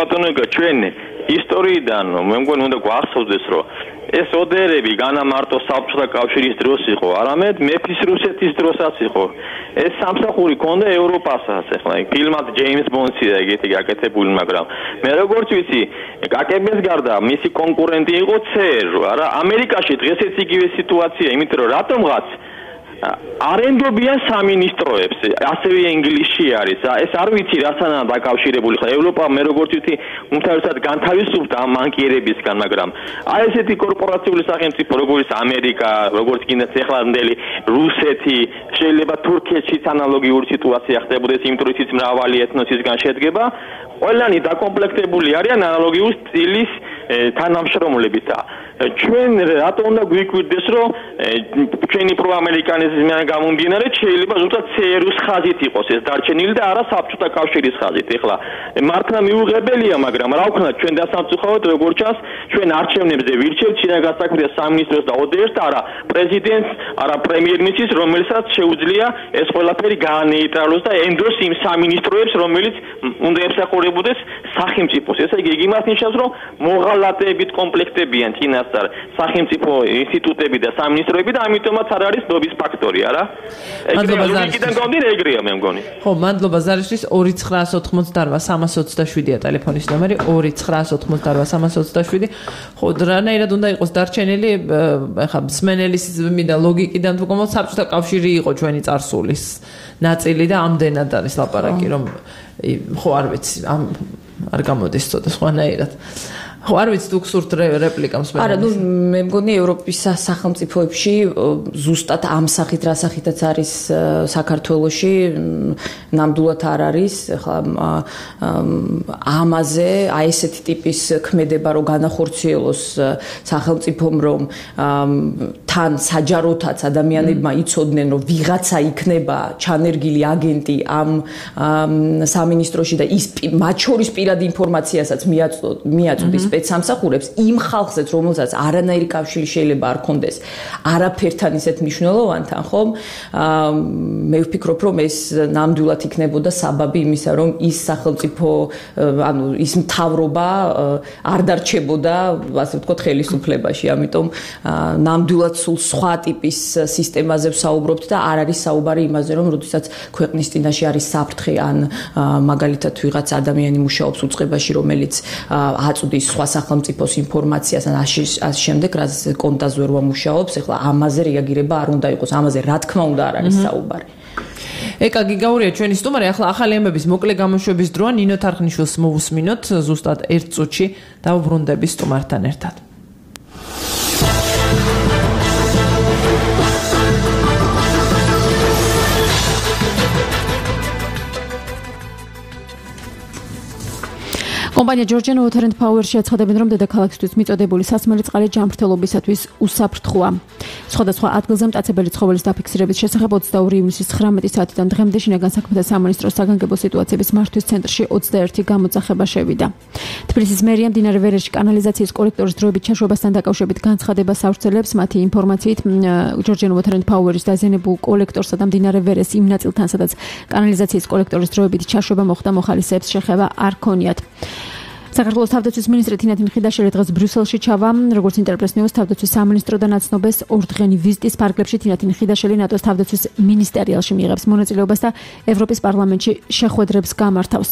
ბატონო ეკა ჩვენ ისტორიიდან მე მგონი უნდა გვახსოვდეს, რომ ეს ოდერები განა მარტო საბჭოთა კავშირის დროს იყო, არამედ მეფის რუსეთის დროსაც იყო. ეს სამსახური ქონდა ევროპასაც, ახლა ფილმად ჯეიმს ბონდსია ეგეთი გაკეთებული, მაგრამ მე როგორც ვიცი, გაკეთების გარდა მისი კონკურენტი იყო ცერ, არა, ამერიკაში დღესაც იგივე სიტუაცია, იმიტომ რომ რატომღაც არენდობიან სამინისტროებს, ასევე ინგლისში არის. ეს არ ვიცი რასთან დაკავშირებული ხარ. ევროპა მე როგორც ვიცი, უმთავრესად განთავისუფლდა ამ მანკიერებისგან, მაგრამ აი ესეთი კორპორაციული სახელმწიფო როგორც ამერიკა, როგორც კიდეც ეხლანდელი რუსეთი, შეიძლება თურქეთშიც ანალოგიური სიტუაცია ხდებოდეს, იმიტომ რომ ის მრავალი ეთნოსისგან შედგება, ყველანი დაკომპლექტებული არიან ანალოგიურ სტილის თანამშრომლებით. ჩვენ რატო უნდა გვიკვირდეს, რომ ჩვენი პროამერიკანიზმიდან გამომდინარე შეიძლება ზუსტად ცერუს ხაზით იყოს ეს დარჩენილი და არა საბჭოთა კავშირის ხაზით. ეხლა მართლა მიუღებელია, მაგრამ რა ვქნა ჩვენ დასამწუხაროდ როგორც ჩანს, ჩვენ არჩევნებზე ვირჩევთ შინაგან საქმეთა სამინისტროს და ოდერს და არა პრეზიდენტს, არა პრემიერ-მინისტრს, რომელსაც შეუძლია ეს ყველაფერი გაანეიტრალოს და ენდოს იმ სამინისტროებს, რომელიც უნდა ემსახურებოდეს სახელმწიფოს. ესე იგი იმას ნიშნავს, რომ მოღალატეებით კომპლექტებიან წინასწარ სახელმწიფო ინსტიტუტები და სამინისტროები და ამიტომაც არ არის ნობის ფაქტორი, არა? მადლობა ზარიშვილს. გონდირ ეგრეა მე მგონი. ხო, მადლობა ზარიშვილს. ორი ცხრაას ოთხმოცდაოთხ სამას ოცდაშვიდია ტელეფონის ნომერი ორი ცხრაას ოთხმოცდაოთხ სამას ოცდაშვიდი. ხო, რანაირად უნდა იყოს დარჩენილი, ეხლა მსმენელის მინდა ლოგიკიდან თუ გომო საბჭოთა კავშირი იყო ჩვენი წარსულის ნაწილი და ამდენად არის ლაპარაკი, რომ ხო არ ვიცი, ამ არ გამოდის ცოტა სხვანაირად. ხო, არ ვიცი თუ გსურთ რეპლიკა მსმენელის. არა, ნუ მე მგონი ევროპის სახელმწიფოებში ზუსტად ამ სახით რა სახითაც არის საქართველოში ნამდვილად არ არის. ახლა ამაზე აი ესეთი ტიპის ქმედება რო განახორციელოს სახელმწიფომ, რომ თან საჯაროთაც ადამიანებმა იცოდნენ, რომ ვიღაცა იქნება ჩანერგილი აგენტი ამ სამინისტროში და ის მათ შორის პირადი ინფორმაციასაც მიაწვდის სპეცსამსახურებს იმ ხალხსაც, რომელსაც არანაირი კავშირი შეიძლება არ ქონდეს არაფერთან ისეთ მნიშვნელოვანთან, ხომ? მე ვფიქრობ, რომ ეს ნამდვილად იქნებოდა საბაბი იმისა, რომ ის სახელმწიფო, ანუ ის მთავრობა არ დარჩებოდა, ასე ვთქვათ, ხელისუფლებაში. ამიტომ ნამდვილად სულ სხვა ტიპის სისტემაზე ვსაუბრობთ და არ არის საუბარი იმაზე, რომ როდესაც ქვეყნის წინაშე არის საფრთხე ან მაგალითად ვიღაც ადამიანი მუშაობს უწყებაში, რომელიც აწვდის სხვა სახელმწიფოს ინფორმაციას ან ამ შემდეგ რაც კონტაზე ვერ მუშაობს, ეხლა ამაზე რეაგირება არ უნდა იყოს, ამაზე რა თქმა უნდა არ არის საუბარი. ეკა გიგაურია ჩვენი სტუმარი, ახლა ახალი ამბების მოკლე გამოშვების დროა ნინო თარხნიშვილს მოვუსმინოთ ზუსტად ერთ წუთში დავუბრუნდები სტუმართან ერთად. კომპანია ჯორჯიანო Water and Power-ში აცხადებენ, რომ დედაქალაქისთვის მიწოდებული სასმელი წყალი ჯანმრთელობისათვის უსაფრთხოა. სხვადასხვა ადგილზე მტაცებელი ცხოველის დაფიქსირების შესახებ ოცდაორი ივნისის ცხრამეტი საათიდან დღემდე შინაგან საქმეთა სამინისტროს საგანგებო სიტუაციების მართვის ცენტრში ოცდაერთი გამოძახება შევიდა. თბილისის მერია მდინარე ვერეში კანალიზაციის კოლექტორის დროებით ჩაშვებასთან დაკავშირებით განცხადებას ავრცელებს. მათი ინფორმაციით, ჯორჯიანო Water and Power-ის დაზიანებულ კოლექტორსა და მდინარე ვერეს იმ ნაწილთან, სადაც კანალიზაციის კოლექტორის დროებით ჩაშვება მოხდა, მოხალისეებს შეხება არ ქონიათ. საქართველოს თავდაცვის მინისტრი თინათინ ხიდაშელი დღეს ბრიუსელში ჩავა. როგორც ინტერპრეს ნიუს თავდაცვის სამინისტროდან აცნობს ორდღიანი ვიზიტის ფარგლებში თინათინ ხიდაშელი ნატოს თავდაცვის მინისტერიალში მიიღებს მონაწილეობას და ევროპის პარლამენტში შეხვედრებს გამართავს.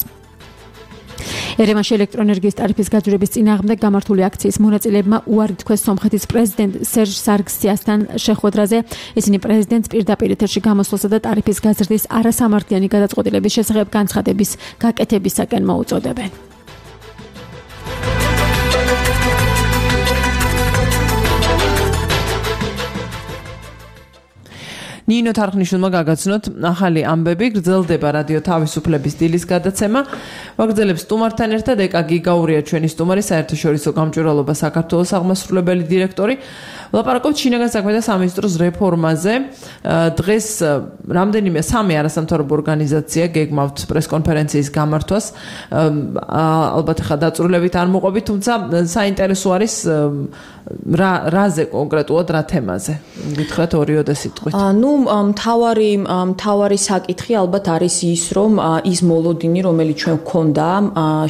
ერევანში ელექტროენერგიის ტარიფის გაძვირების წინააღმდეგ გამართული აქციის მონაწილეებმა უარი თქვეს სომხეთის პრეზიდენტ სერჟ სარგსიასთან შეხვედრაზე. ისინი პრეზიდენტს პირდაპირ ეთერში გამოსვლასა და ტარიფის გაზრდის არასამართლიანი გადაწყვეტილების შესახებ განცხადების გაკეთებისაკენ მოუწოდებენ. ნინო თარხნიშვილმა გაგაცნოთ ახალი ამბები, გრძელდება რადიო თავისუფლების დილის გადაცემა. ვაგრძელებს სტუმართან ერთად ეკა გიგაურია ჩვენი სტუმარი, საერთაშორისო გამჭვირვალობა საქართველოს აღმასრულებელი დირექტორი. ვლაპარაკობთ შინაგან საქმეთა სამინისტროს რეფორმაზე. დღეს რამდენიმე სამი არასამთავრობო ორგანიზაცია გეგმავთ პრესკონფერენციის გამართვას. ალბათ ხა დაწვრილებით არ მოყვებით, თუმცა საინტერესო არის რა რაზე კონკრეტულად რა თემაზე. გითხრათ ორიოდე სიტყვით. ნუ მთავარი მთავარი საკითხი ალბათ არის ის, რომ ის მოლოდინი, რომელიც ჩვენ გვქონდა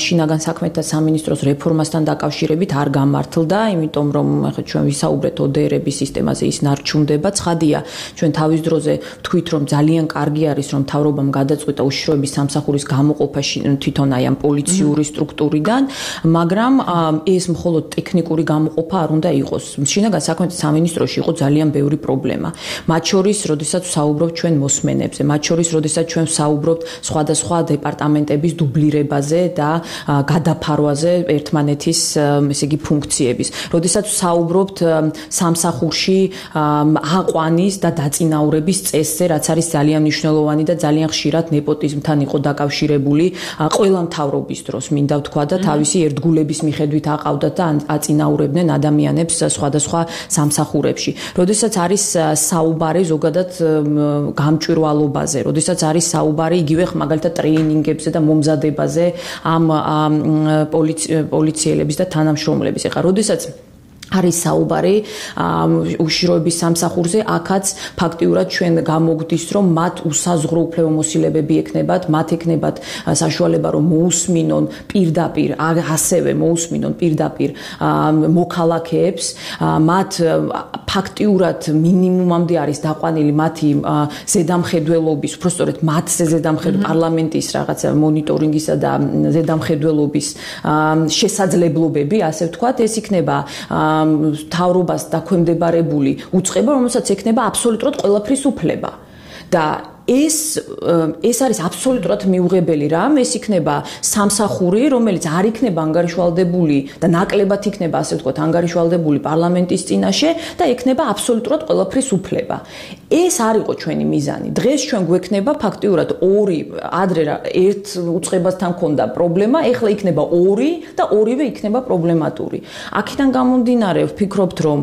შინაგან საქმეთა სამინისტროს რეფორმასთან დაკავშირებით არ გამართლდა, იმიტომ რომ ახლა ჩვენ ვისაუბრეთ ო დე ერების სისტემაზე, ის ნარჩუნდება. ცხადია, ჩვენ თავის დროზე ვთქვით, რომ ძალიან კარგი არის, რომ მთავრობამ გადაწყვიტა უშიშროების სამსახურის გამოყოფა თვითონ აი ამ პოლიციური სტრუქტურიდან, მაგრამ ეს მხოლოდ ტექნიკური გამოყოფა არ უნდა იყოს. შინაგან საქმეთა სამინისტროში იყო ძალიან ბევრი პრობლემა. მათ შორის, როდესაც ვსაუბრობთ ჩვენ მოსმენებზე, მათ შორის, როდესაც ჩვენ ვსაუბრობთ სხვადასხვა დეპარტამენტების დუბლირებაზე და გადაფარვაზე ერთმანეთის, ესე იგი, ფუნქციების. როდესაც ვსაუბრობთ სამსახურში აყვანის და დაწინაურების წესზე, რაც არის ძალიან მნიშვნელოვანი და ძალიან ხშირად ნეპოტიზმთან იყო დაკავშირებული ყველა მთავრობის დროს, მინდა ვთქვა და თავისი ერთგულების მიხედვით აყავდათ და აწინაურებდნენ ადამიანებს აწარმოებენებს სხვადასხვა სამსახურებში. როდესაც არის საუბარი ზოგადად გამჭვირვალობაზე, როდესაც არის საუბარი იგივე მაგალითად ტრეინინგებზე და მომზადებაზე ამ პოლიციელების და თანამშრომლების. ეხლა როდესაც არის საუბარი უშიშროების სამსახურზე, აქაც ფაქტიურად ჩვენ გამოგდის, რომ მათ უსაზღვრო უფლებამოსილებები ექნებათ, მათ ექნებათ საშუალება, რომ მოусმინონ პირდაპირ, ასევე მოусმინონ პირდაპირ მოქალაქეებს, მათ ფაქტიურად მინიმუმამდე არის დაყვანილი მათი ზედამხედველობის, უბრალოდ მათზე ზედამხედველობის პარლამენტის რაღაცა მონიტორინგისა და ზედამხედველობის შესაძლებლობები, ასე ვთქვათ, ეს იქნება თავრობას დაქვემდებარებული უწყება, რომელსაც ექნება აბსოლუტურად ყველაფრის უფლება. და ეს ეს არის აბსოლუტურად მიუღებელი რამ, ეს იქნება სამსახური, რომელიც არ იქნება ანგარიშვალდებული და ნაკლებად იქნება, ასე ვთქვათ, ანგარიშვალდებული პარლამენტის წინაშე და ექნება აბსოლუტურად ყველაფრის უფლება. ეს არ იყო ჩვენი მიზანი. დღეს ჩვენ გვექნება ფაქტიურად ორი, ადრე ერთ უწყებასთან ქონდა პრობლემა, ეხლა იქნება ორი და ორივე იქნება პრობლემატური. აქედან გამომდინარე ვფიქრობთ, რომ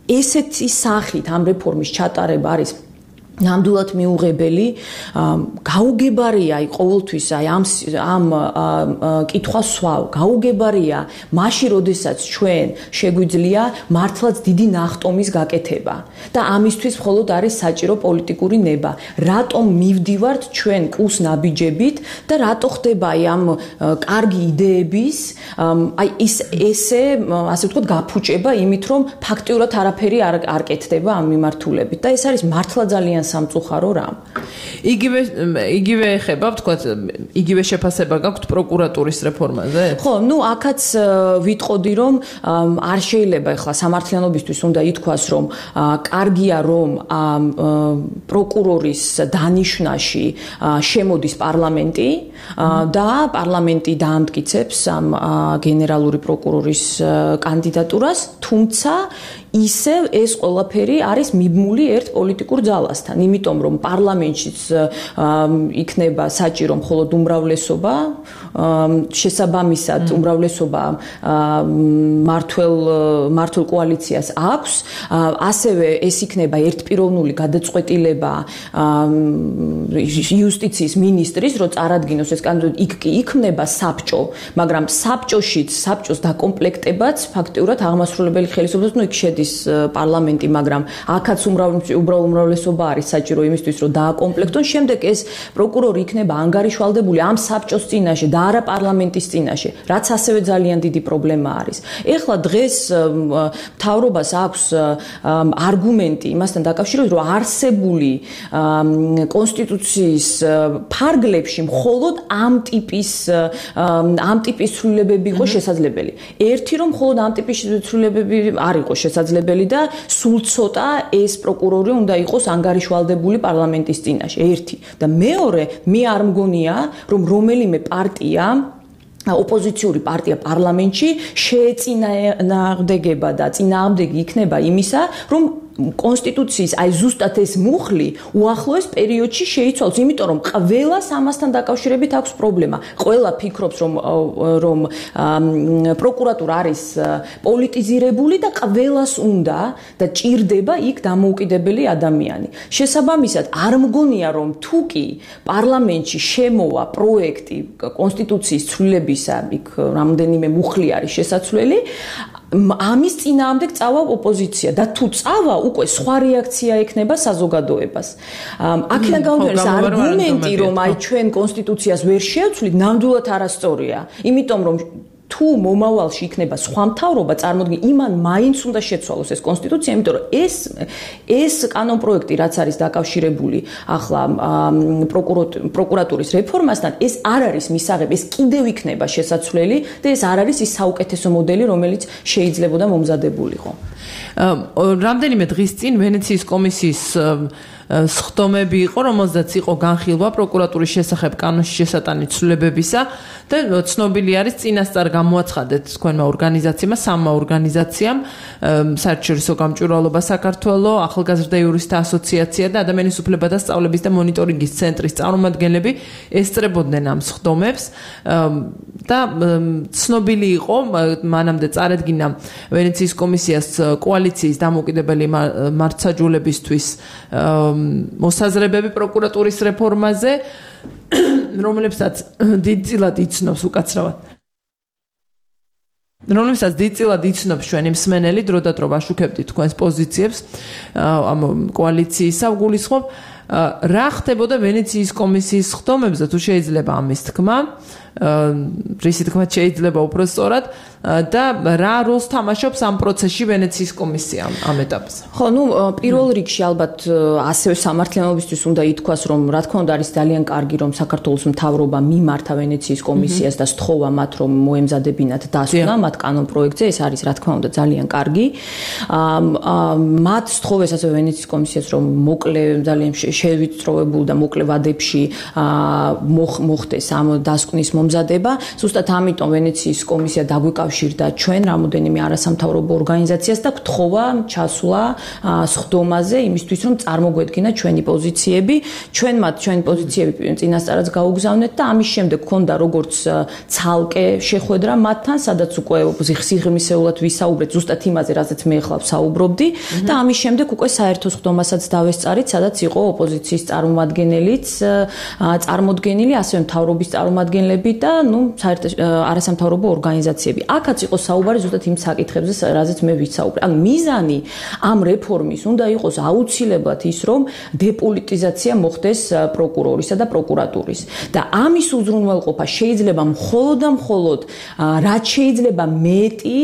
ესეთი სახით ამ რეფორმის ჩატარება არის ნამდვილად მიუღებელი, გაუგებარია აი ყოველთვის აი ამ ამ კითხვას სვავ, გაუგებარია მაშინ, როდესაც ჩვენ შეგვიძლია მართლაც დიდი ნახტომის გაკეთება და ამისთვის მხოლოდ არის საჭირო პოლიტიკური ნება. რატომ მივდივართ ჩვენ კუს ნაბიჯებით და რატო ხდება აი ამ კარგი იდეების აი ის ესე ასე ვთქვათ გაფუჭება იმით, რომ ფაქტიურად არაფერი არ არ კეთდება ამ მიმართულებით და ეს არის მართლა ძალიან სამწუხარო რამ. იგივე იგივე ეხება, ვთქვათ, იგივე შეფასება გაქვთ პროკურატურის რეფორმაზე? ხო, ну აქაც ვიტყოდი, რომ არ შეიძლება ახლა სამართლიანობისთვის უნდა ითქვას, რომ კარგია, რომ პროკურორის დანიშვნაში შემოდის პარლამენტი და პარლამენტი დაამტკიცებს ამ გენერალური პროკურორის კანდიდატურას, თუმცა ისევ ეს ყველაფერი არის მიბმული ერთ პოლიტიკურ ძალასთან, იმიტომ რომ პარლამენტშიც იქნება საჭირო მხოლოდ უმრავლესობა, შესაბამისად უმრავლესობა მართლ მართლ კოალიციას აქვს, ასევე ეს იქნება ერთპიროვნული გადაწყვეტილება იუსტიციის მინისტრის, რომ წარადგინოს ეს კანდიდატი, იქ კი იქმნება საბჭო, მაგრამ საბჭოშიც საბჭოს დაკომპლექტებაც ფაქტიურად აღმასრულებელი ხელისუფლებას, ну იქ შედის პარლამენტი, მაგრამ აქაც უმრავლესობა არის საჭირო იმისთვის, რომ დააკომპლექტონ. შემდეგ ეს პროკურორი იქნება ანგარიშვალდებული ამ საბჭოს წინაშე და არა პარლამენტის წინაშე, რაც ასევე ძალიან დიდი პრობლემა არის. ეხლა დღეს მთავრობას აქვს არგუმენტი იმასთან დაკავშირებით, რომ არსებული კონსტიტუციის ფარგლებში მხოლოდ ამ ტიპის ამ ტიპის ცვლილებები იყო შესაძლებელი. ერთი რომ მხოლოდ ამ ტიპის ცვლილებები არ იყო შესაძლებელი და სულ ცოტა ეს პროკურორი უნდა იყოს ანგარიშვალდებული პარლამენტის წინაშე. ერთი და მეორე, მე არ მგონია, რომ რომელიმე პარტია ოპოზიციური პარტია პარლამენტში შეეწინააღმდეგება და წინააღმდეგი იქნება იმისა, რომ კონსტიტუციის აი ზუსტად ეს მუხლი უახლოეს პერიოდში შეიცვალოს, იმიტომ რომ ყველას ამასთან დაკავშირებით აქვს პრობლემა. ყველა ფიქრობს, რომ რომ პროკურატურა არის პოლიტიზირებული და ყველას უნდა და ჭირდება იქ დამოუკიდებელი ადამიანი. შესაბამისად, არ მგონია, რომ თუ კი პარლამენტში შემოვა პროექტი კონსტიტუციის ცვლილებისა, იქ რამდენიმე მუხლი არის შესაძლებელი, ამის წინააღმდეგ წავა ოპოზიცია და თუ წავა, უკვე სხვა რეაქცია ექნება საზოგადოებას. აქედან გამომდინარე, არგუმენტი, რომ აი ჩვენ კონსტიტუციას ვერ შევცვლით, ნამდვილად არასწორია. იმიტომ რომ თუ მომავალში იქნება სხვა მთავრობა, წარმოიდგინე, იმან მაინც უნდა შეცვალოს ეს კონსტიტუცია, იმიტომ რომ ეს ეს კანონპროექტი, რაც არის დაკავშირებული ახლა პროკურატურის რეფორმასთან, ეს არ არის მისაღები, ეს კიდევ იქნება შესაძლებელი და ეს არ არის ის საუკეთესო მოდელი, რომელიც შეიძლებოდა მომზადებულიყო. რამდენიმე დღის წინ ვენეციის კომისიის სხდომები იყო, რომელზეც იყო განხილვა პროკურატურის შესახებ კანონში შესატანი ცვლილებებისა და ცნობილი არის წინასწარ გამოაცხადეთ თქვენმა ორგანიზაციებმა, სამმა ორგანიზაციამ, საერთაშორისო გამჭვირვალობა საქართველოს, ახალგაზრდა იურისტთა ასოციაცია და ადამიანის უფლებათა სწავლების და მონიტორინგის ცენტრის წარმომადგენლები ესწრებოდნენ ამ სხდომებს და ცნობილი იყო, მანამდე წარადგინა ვენეციის კომისიას კოალიციის დამოუკიდებელი მართლმსაჯულებისთვის მოსაზრებები პროკურატურის რეფორმაზე, რომლებსაც დიდწილად იცნობს უკაცრავად. რომლებსაც დიდწილად იცნობს ჩვენი მსმენელი, დრო და დრო ვაშუქებდით თქვენს პოზიციებს ამ კოალიციისა, ვგულისხმობ, რა ხდებოდა ვენეციის კომისიის სხდომებზე, თუ შეიძლება ამის თქმა, რისი თქმა შეიძლება უფრო სწორად და რა როლს თამაშობს ამ პროცესში ვენეციის კომისია ამ ეტაპზე. ხო, ну, პირველ რიგში ალბათ ასევე სამართლიანობისთვის უნდა ითქვას, რომ რა თქმა უნდა არის ძალიან კარგი, რომ საქართველოს მთავრობა მიმართა ვენეციის კომისიას და სთხოვა მათ, რომ მოემზადებინათ დასკვნა მათ კანონ პროექტზე, ეს არის რა თქმა უნდა ძალიან კარგი. მათ სთხოვეს ასევე ვენეციის კომისიას, რომ მოკლე ძალიან შევიწროებულ და მოკლე ვადებში მოხდეს ამ დასკვნის მომზადება. Ზუსტად ამიტომ ვენეციის კომისია დაგვიკავშირდა ჩვენ რამოდენიმე არასამთავრობო ორგანიზაციას და გთხოვა ჩასვლა სხდომაზე იმისთვის, რომ წარმოგვედგინა ჩვენი პოზიციები. ჩვენ მათ ჩვენი პოზიციები წინასწარაც გაუგზავნეთ და ამის შემდეგ გქონდა როგორც ცალკე შეხვედრა მათთან, სადაც უკვე სიღრმისეულად ვისაუბრეთ ზუსტად იმაზე, რაზეც მე ახლა ვსაუბრობდი და ამის შემდეგ უკვე საერთო სხდომასაც დავესწარით, სადაც იყო ოპოზიციის წარმომადგენელიც წარმოდგენილი, ასევე მთავრობის წარმომადგენლები და ნუ საერთო არასამთავრობო ორგანიზაციები. აქაც იყო საუბარი ზუსტად იმ საკითხებზე, რაზეც მე ვისაუბრე. ანუ მიზანი ამ რეფორმის უნდა იყოს აუცილებლად ის, რომ დეპოლიტიზაცია მოხდეს პროკურორისა და პროკურატურის. და ამის უზრუნველყოფა შეიძლება მხოლოდ და მხოლოდ რაც შეიძლება მეტი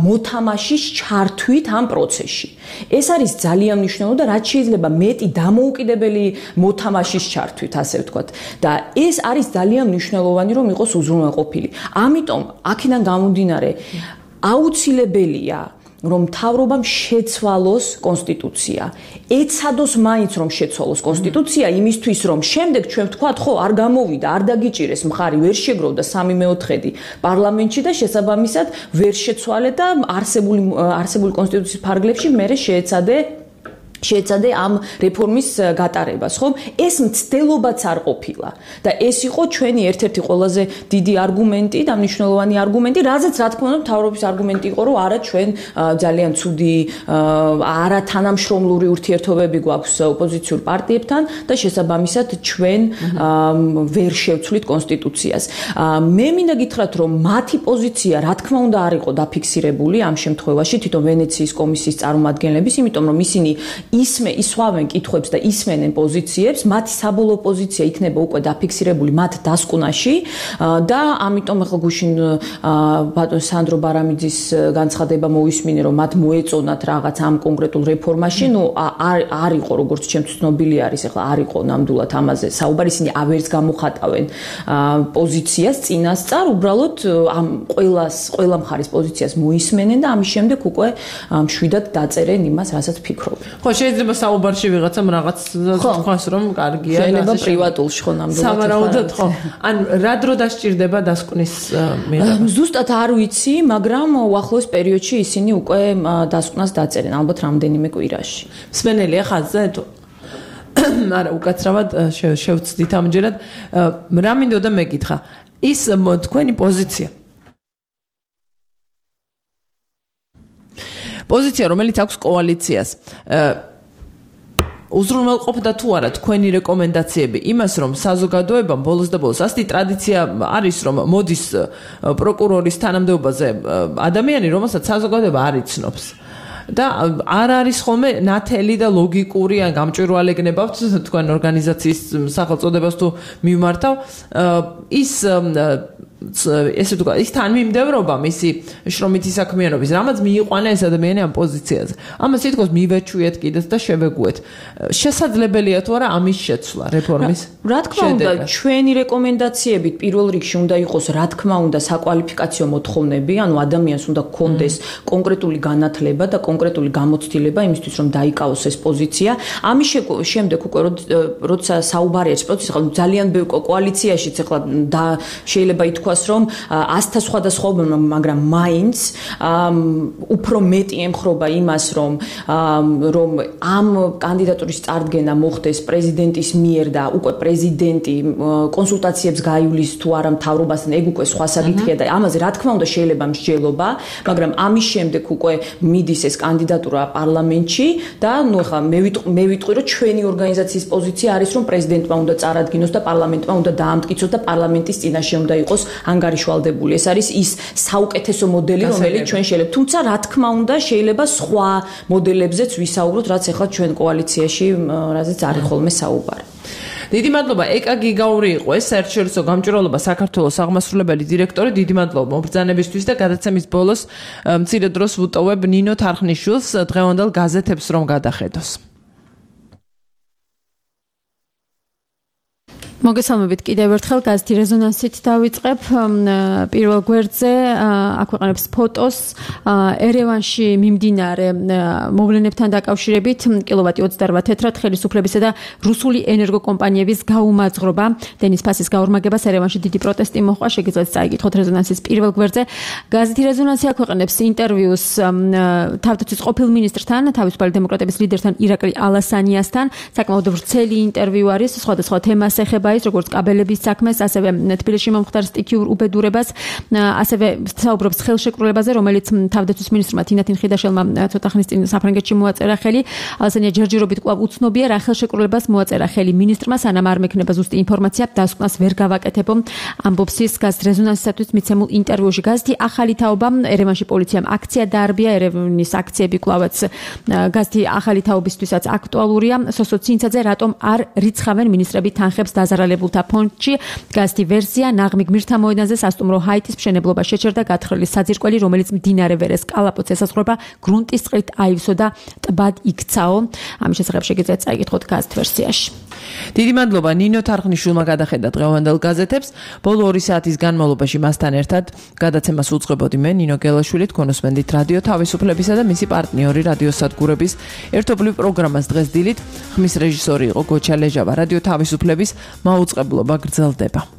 მოთამაშის ჩართვით ამ პროცესში. ეს არის ძალიან მნიშვნელოვანი და რაც შეიძლება მეტი დამოუკიდებელი მოთამაშის ჩართვით, ასე ვთქვათ. და ეს არის ძალიან მნიშვნელოვანი, რომ იყოს უზრუნველყოფილი. ამიტომ აქედან გამომდინარე აუცილებელია რომ მთავრობამ შეცვალოს კონსტიტუცია. ეცადოს მაინც რომ შეცვალოს კონსტიტუცია იმისთვის რომ შემდეგ ჩვენ ვთქვათ, ხო, არ გამოვიდა, არ დაგიჭირეს მხარი, ვერ შეგროვდა სამი მეოთხედი პარლამენტში და შესაბამისად ვერ შეცვალე და არსებული არსებული კონსტიტუციის ფარგლებში მერე შეეცადე შეეცადე ამ რეფორმის გატარებას, ხო? ეს მცდელობაც არ ყოფილა და ეს იყო ჩვენი ერთ-ერთი ყველაზე დიდი არგუმენტი და მნიშვნელოვანი არგუმენტი, რაზეც რა თქმა უნდა მთავრობის არგუმენტი იყო, რომ არა ჩვენ ძალიან ცუდი არა თანამშრომლური ურთიერთობები გვაქვს ოპოზიციურ პარტიებთან და შესაბამისად ჩვენ ვერ შევცვლით კონსტიტუციას. მე მინდა გითხრათ, რომ მათი პოზიცია რა თქმა უნდა არ იყო დაფიქსირებული ამ შემთხვევაში თვითონ ვენეციის კომისიის წარმომადგენლების, იმიტომ რომ ისინი ისმე ისვავენ კითხვებს და ისმენენ პოზიციებს, მათი საბოლოო პოზიცია იქნება უკვე დაფიქსირებული მათ დასკვნაში და ამიტომ ახლა გუშინ ბატონ სანდრო ბარამიძის განცხადება მოვისმინე, რომ მათ მოეწონათ რაღაც ამ კონკრეტულ რეფორმაში, ნუ არ არ იყო როგორც ჩემთვის ცნობილი არის, ახლა არ იყო ნამდვილად ამაზე საუბარი, ისინი ავერც გამოხატავენ პოზიციას წინასწარ, უბრალოდ ამ ყველას ყველა მხარის პოზიციას მოისმენენ და ამის შემდეგ უკვე მშვიდად დაწერენ იმას, რასაც ფიქრობენ. ხო, შეიძლება საუბარში ვიღაცამ რაღაც თქვას, რომ კარგია და შეიძლება პრივატულში ხო ნამდვილად. სამარაუდოდ ხო. ან რა დრო დასჭირდება დასკვნის მიღება? ზუსტად არ ვიცი, მაგრამ უახლოეს პერიოდში ისინი უკვე დასკვნას დაწერენ, ალბათ რამდენიმე კვირაში. მსმენელია ხაზზე თუ არა, უკაცრავად შევცდით ამჯერად. რა მინდოდა მეკითხა? ის თქვენი პოზიცია პოზიცია, რომელიც აქვს კოალიციას. უზრუნველყოფდა თუ არა თქვენი რეკომენდაციები იმას, რომ საზოგადოებამ ბოლოს და ბოლოს ასეთი ტრადიცია არის, რომ მოდის პროკურორის თანამდებობაზე ადამიანი, რომელსაც საზოგადოება არ იცნობს. და არ არის ხოლმე ნათელი და ლოგიკური ან გამჭვირვალე გნებავთ თქვენ ორგანიზაციის სახელწოდებას თუ მიმართავ, ის ესე ვთქვა, ის თანმიმდევრობა მისი შრომითი საქმიანობის, რამაც მიიყვანა ეს ადამიანი ამ პოზიციაზე. ამას თითქოს მივეჩვიეთ კიდეც და შევეგუეთ. შესაძლებელია თუ არა ამის შეცვლა რეფორმის? რა თქმა უნდა, ჩვენი რეკომენდაციებით პირველ რიგში უნდა იყოს, რა თქმა უნდა, საკვალიფიკაციო მოთხოვნები, ანუ ადამიანს უნდა გქონდეს კონკრეტული განათლება და კონკრეტული გამოცდილება იმისთვის, რომ დაიკავოს ეს პოზიცია. ამის შემდეგ უკვე როცა საუბარია ეს პროცესი, ხა ძალიან ბევრ კოალიციაშიც ახლა და შეიძლება ითქვას, რომ ასთა სხვადასხვაობა, მაგრამ მაინც უფრო მეტი ემხრობა იმას, რომ რომ ამ კანდიდატურის წარდგენა მოხდეს პრეზიდენტის მიერ და უკვე პრეზიდენტი კონსულტაციებს გაივლის თუ არა მთავრობასთან, ეგ უკვე სხვა საკითხია და ამაზე რა თქმა უნდა შეიძლება მსჯელობა, მაგრამ ამის შემდეგ უკვე მიდის ეს კანდიდატურა პარლამენტში და ნუ ახლა მე ვიტყვი, რომ ჩვენი ორგანიზაციის პოზიცია არის, რომ პრეზიდენტმა უნდა წარადგინოს და პარლამენტმა უნდა დაამტკიცოს და პარლამენტის წინაშე უნდა იყოს ანგარიშვალდებული. ეს არის ის საუკეთესო მოდელი, რომელიც ჩვენ შეიძლება. თუმცა რა თქმა უნდა შეიძლება სხვა მოდელებზეც ვისაუბროთ, რაც ახლა ჩვენ კოალიციაში, რაზეც არის ხოლმე საუბარი. დიდი მადლობა ეკა გიგაური იყო ეს საერთაშორისო გამჭვირვალობა საქართველოს აღმასრულებელი დირექტორი. დიდი მადლობა მობრძანებისთვის და გადაცემის ბოლოს მცირე დროს ვუტოვებ ნინო თარხნიშვილს დღევანდელ გაზეთებს რომ გადახედოს. მოგესალმებით კიდევ ერთხელ გაზეთი რეზონანსით დავიწყებ პირველ გვერდზე აქ ვეყენებს ფოტოს ერევანში მიმდინარე მოვლენებთან დაკავშირებით კილოვატი ოცდაოთხ თეთრად ხელისუფლებისა და რუსული ენერგოკომპანიების გაუმაძღრობა დენის ფასის გაორმაგებას ერევანში დიდი პროტესტი მოჰყვა შეგიძლიათ წაიკითხოთ რეზონანსის პირველ გვერდზე გაზეთი რეზონანსი აქ ვეყენებს ინტერვიუს თავდაცვის ყოფილ მინისტრთან თავისუფალი დემოკრატების ლიდერთან ირაკლი ალასანიასთან საკმაოდ ვრცელი ინტერვიუ არის სხვადასხვა თემას ეხება ის როგორც კაბელების საქმეს, ასევე თბილისში მომხდარ სტიქიურ უბედურებას, ასევე საუბრობს ხელშეკრულებაზე, რომელიც თავდაცვის მინისტრმა თინათინ ხიდაშელმა ცოტა ხნის წინ საფრანგეთში მოაწერა ხელი. ალასანია ჯერჯერობით კვლავ უცნობია რა ხელშეკრულებას მოაწერა ხელი მინისტრმა, სანამ არ მექნება ზუსტი ინფორმაცია, დასკვნას ვერ გავაკეთებო. ამბობს ის გაზეთ რეზონანსისათვის მიცემულ ინტერვიუში. გაზეთი ახალი თაობა ერევანში პოლიციამ აქცია დაარბია, ერევნის აქციები კვლავაც გაზეთი ახალი თაობისთვისაც აქტუალურია. სოსო ცინცაძე რატომ არ რიცხავენ მინისტრები თანხებს დაზარალებულთა ფონდში გაზეთი ვერსია ნაღმი გმირთა მოედანზე სასტუმრო ჰაიტის მშენებლობა შეჩერდა გათხრილი საძირკველი რომელიც მდინარე ვერეს კალაპოტს ესაზღვრება გრუნტის წყლით აივსო და ტბად იქცაო ამის შესახებ შეგიძლიათ წაიკითხოთ გაზეთ ვერსიაში. დიდი მადლობა ნინო თარხნიშვილმა გადახედა დღევანდელ გაზეთებს. ბოლო ორი საათის განმავლობაში მასთან ერთად გადაცემას უძღვებოდი მე ნინო გელაშვილი, თქვენოსმენდით რადიო თავისუფლებისა და მისი პარტნიორი რადიო სადგურების ერთობლივ პროგრამას დღეს დილით ხმის რეჟისორი იყო გოჩა ლეჟავა. რადიო თავისუფლების მაუწყებლობა გრძელდება.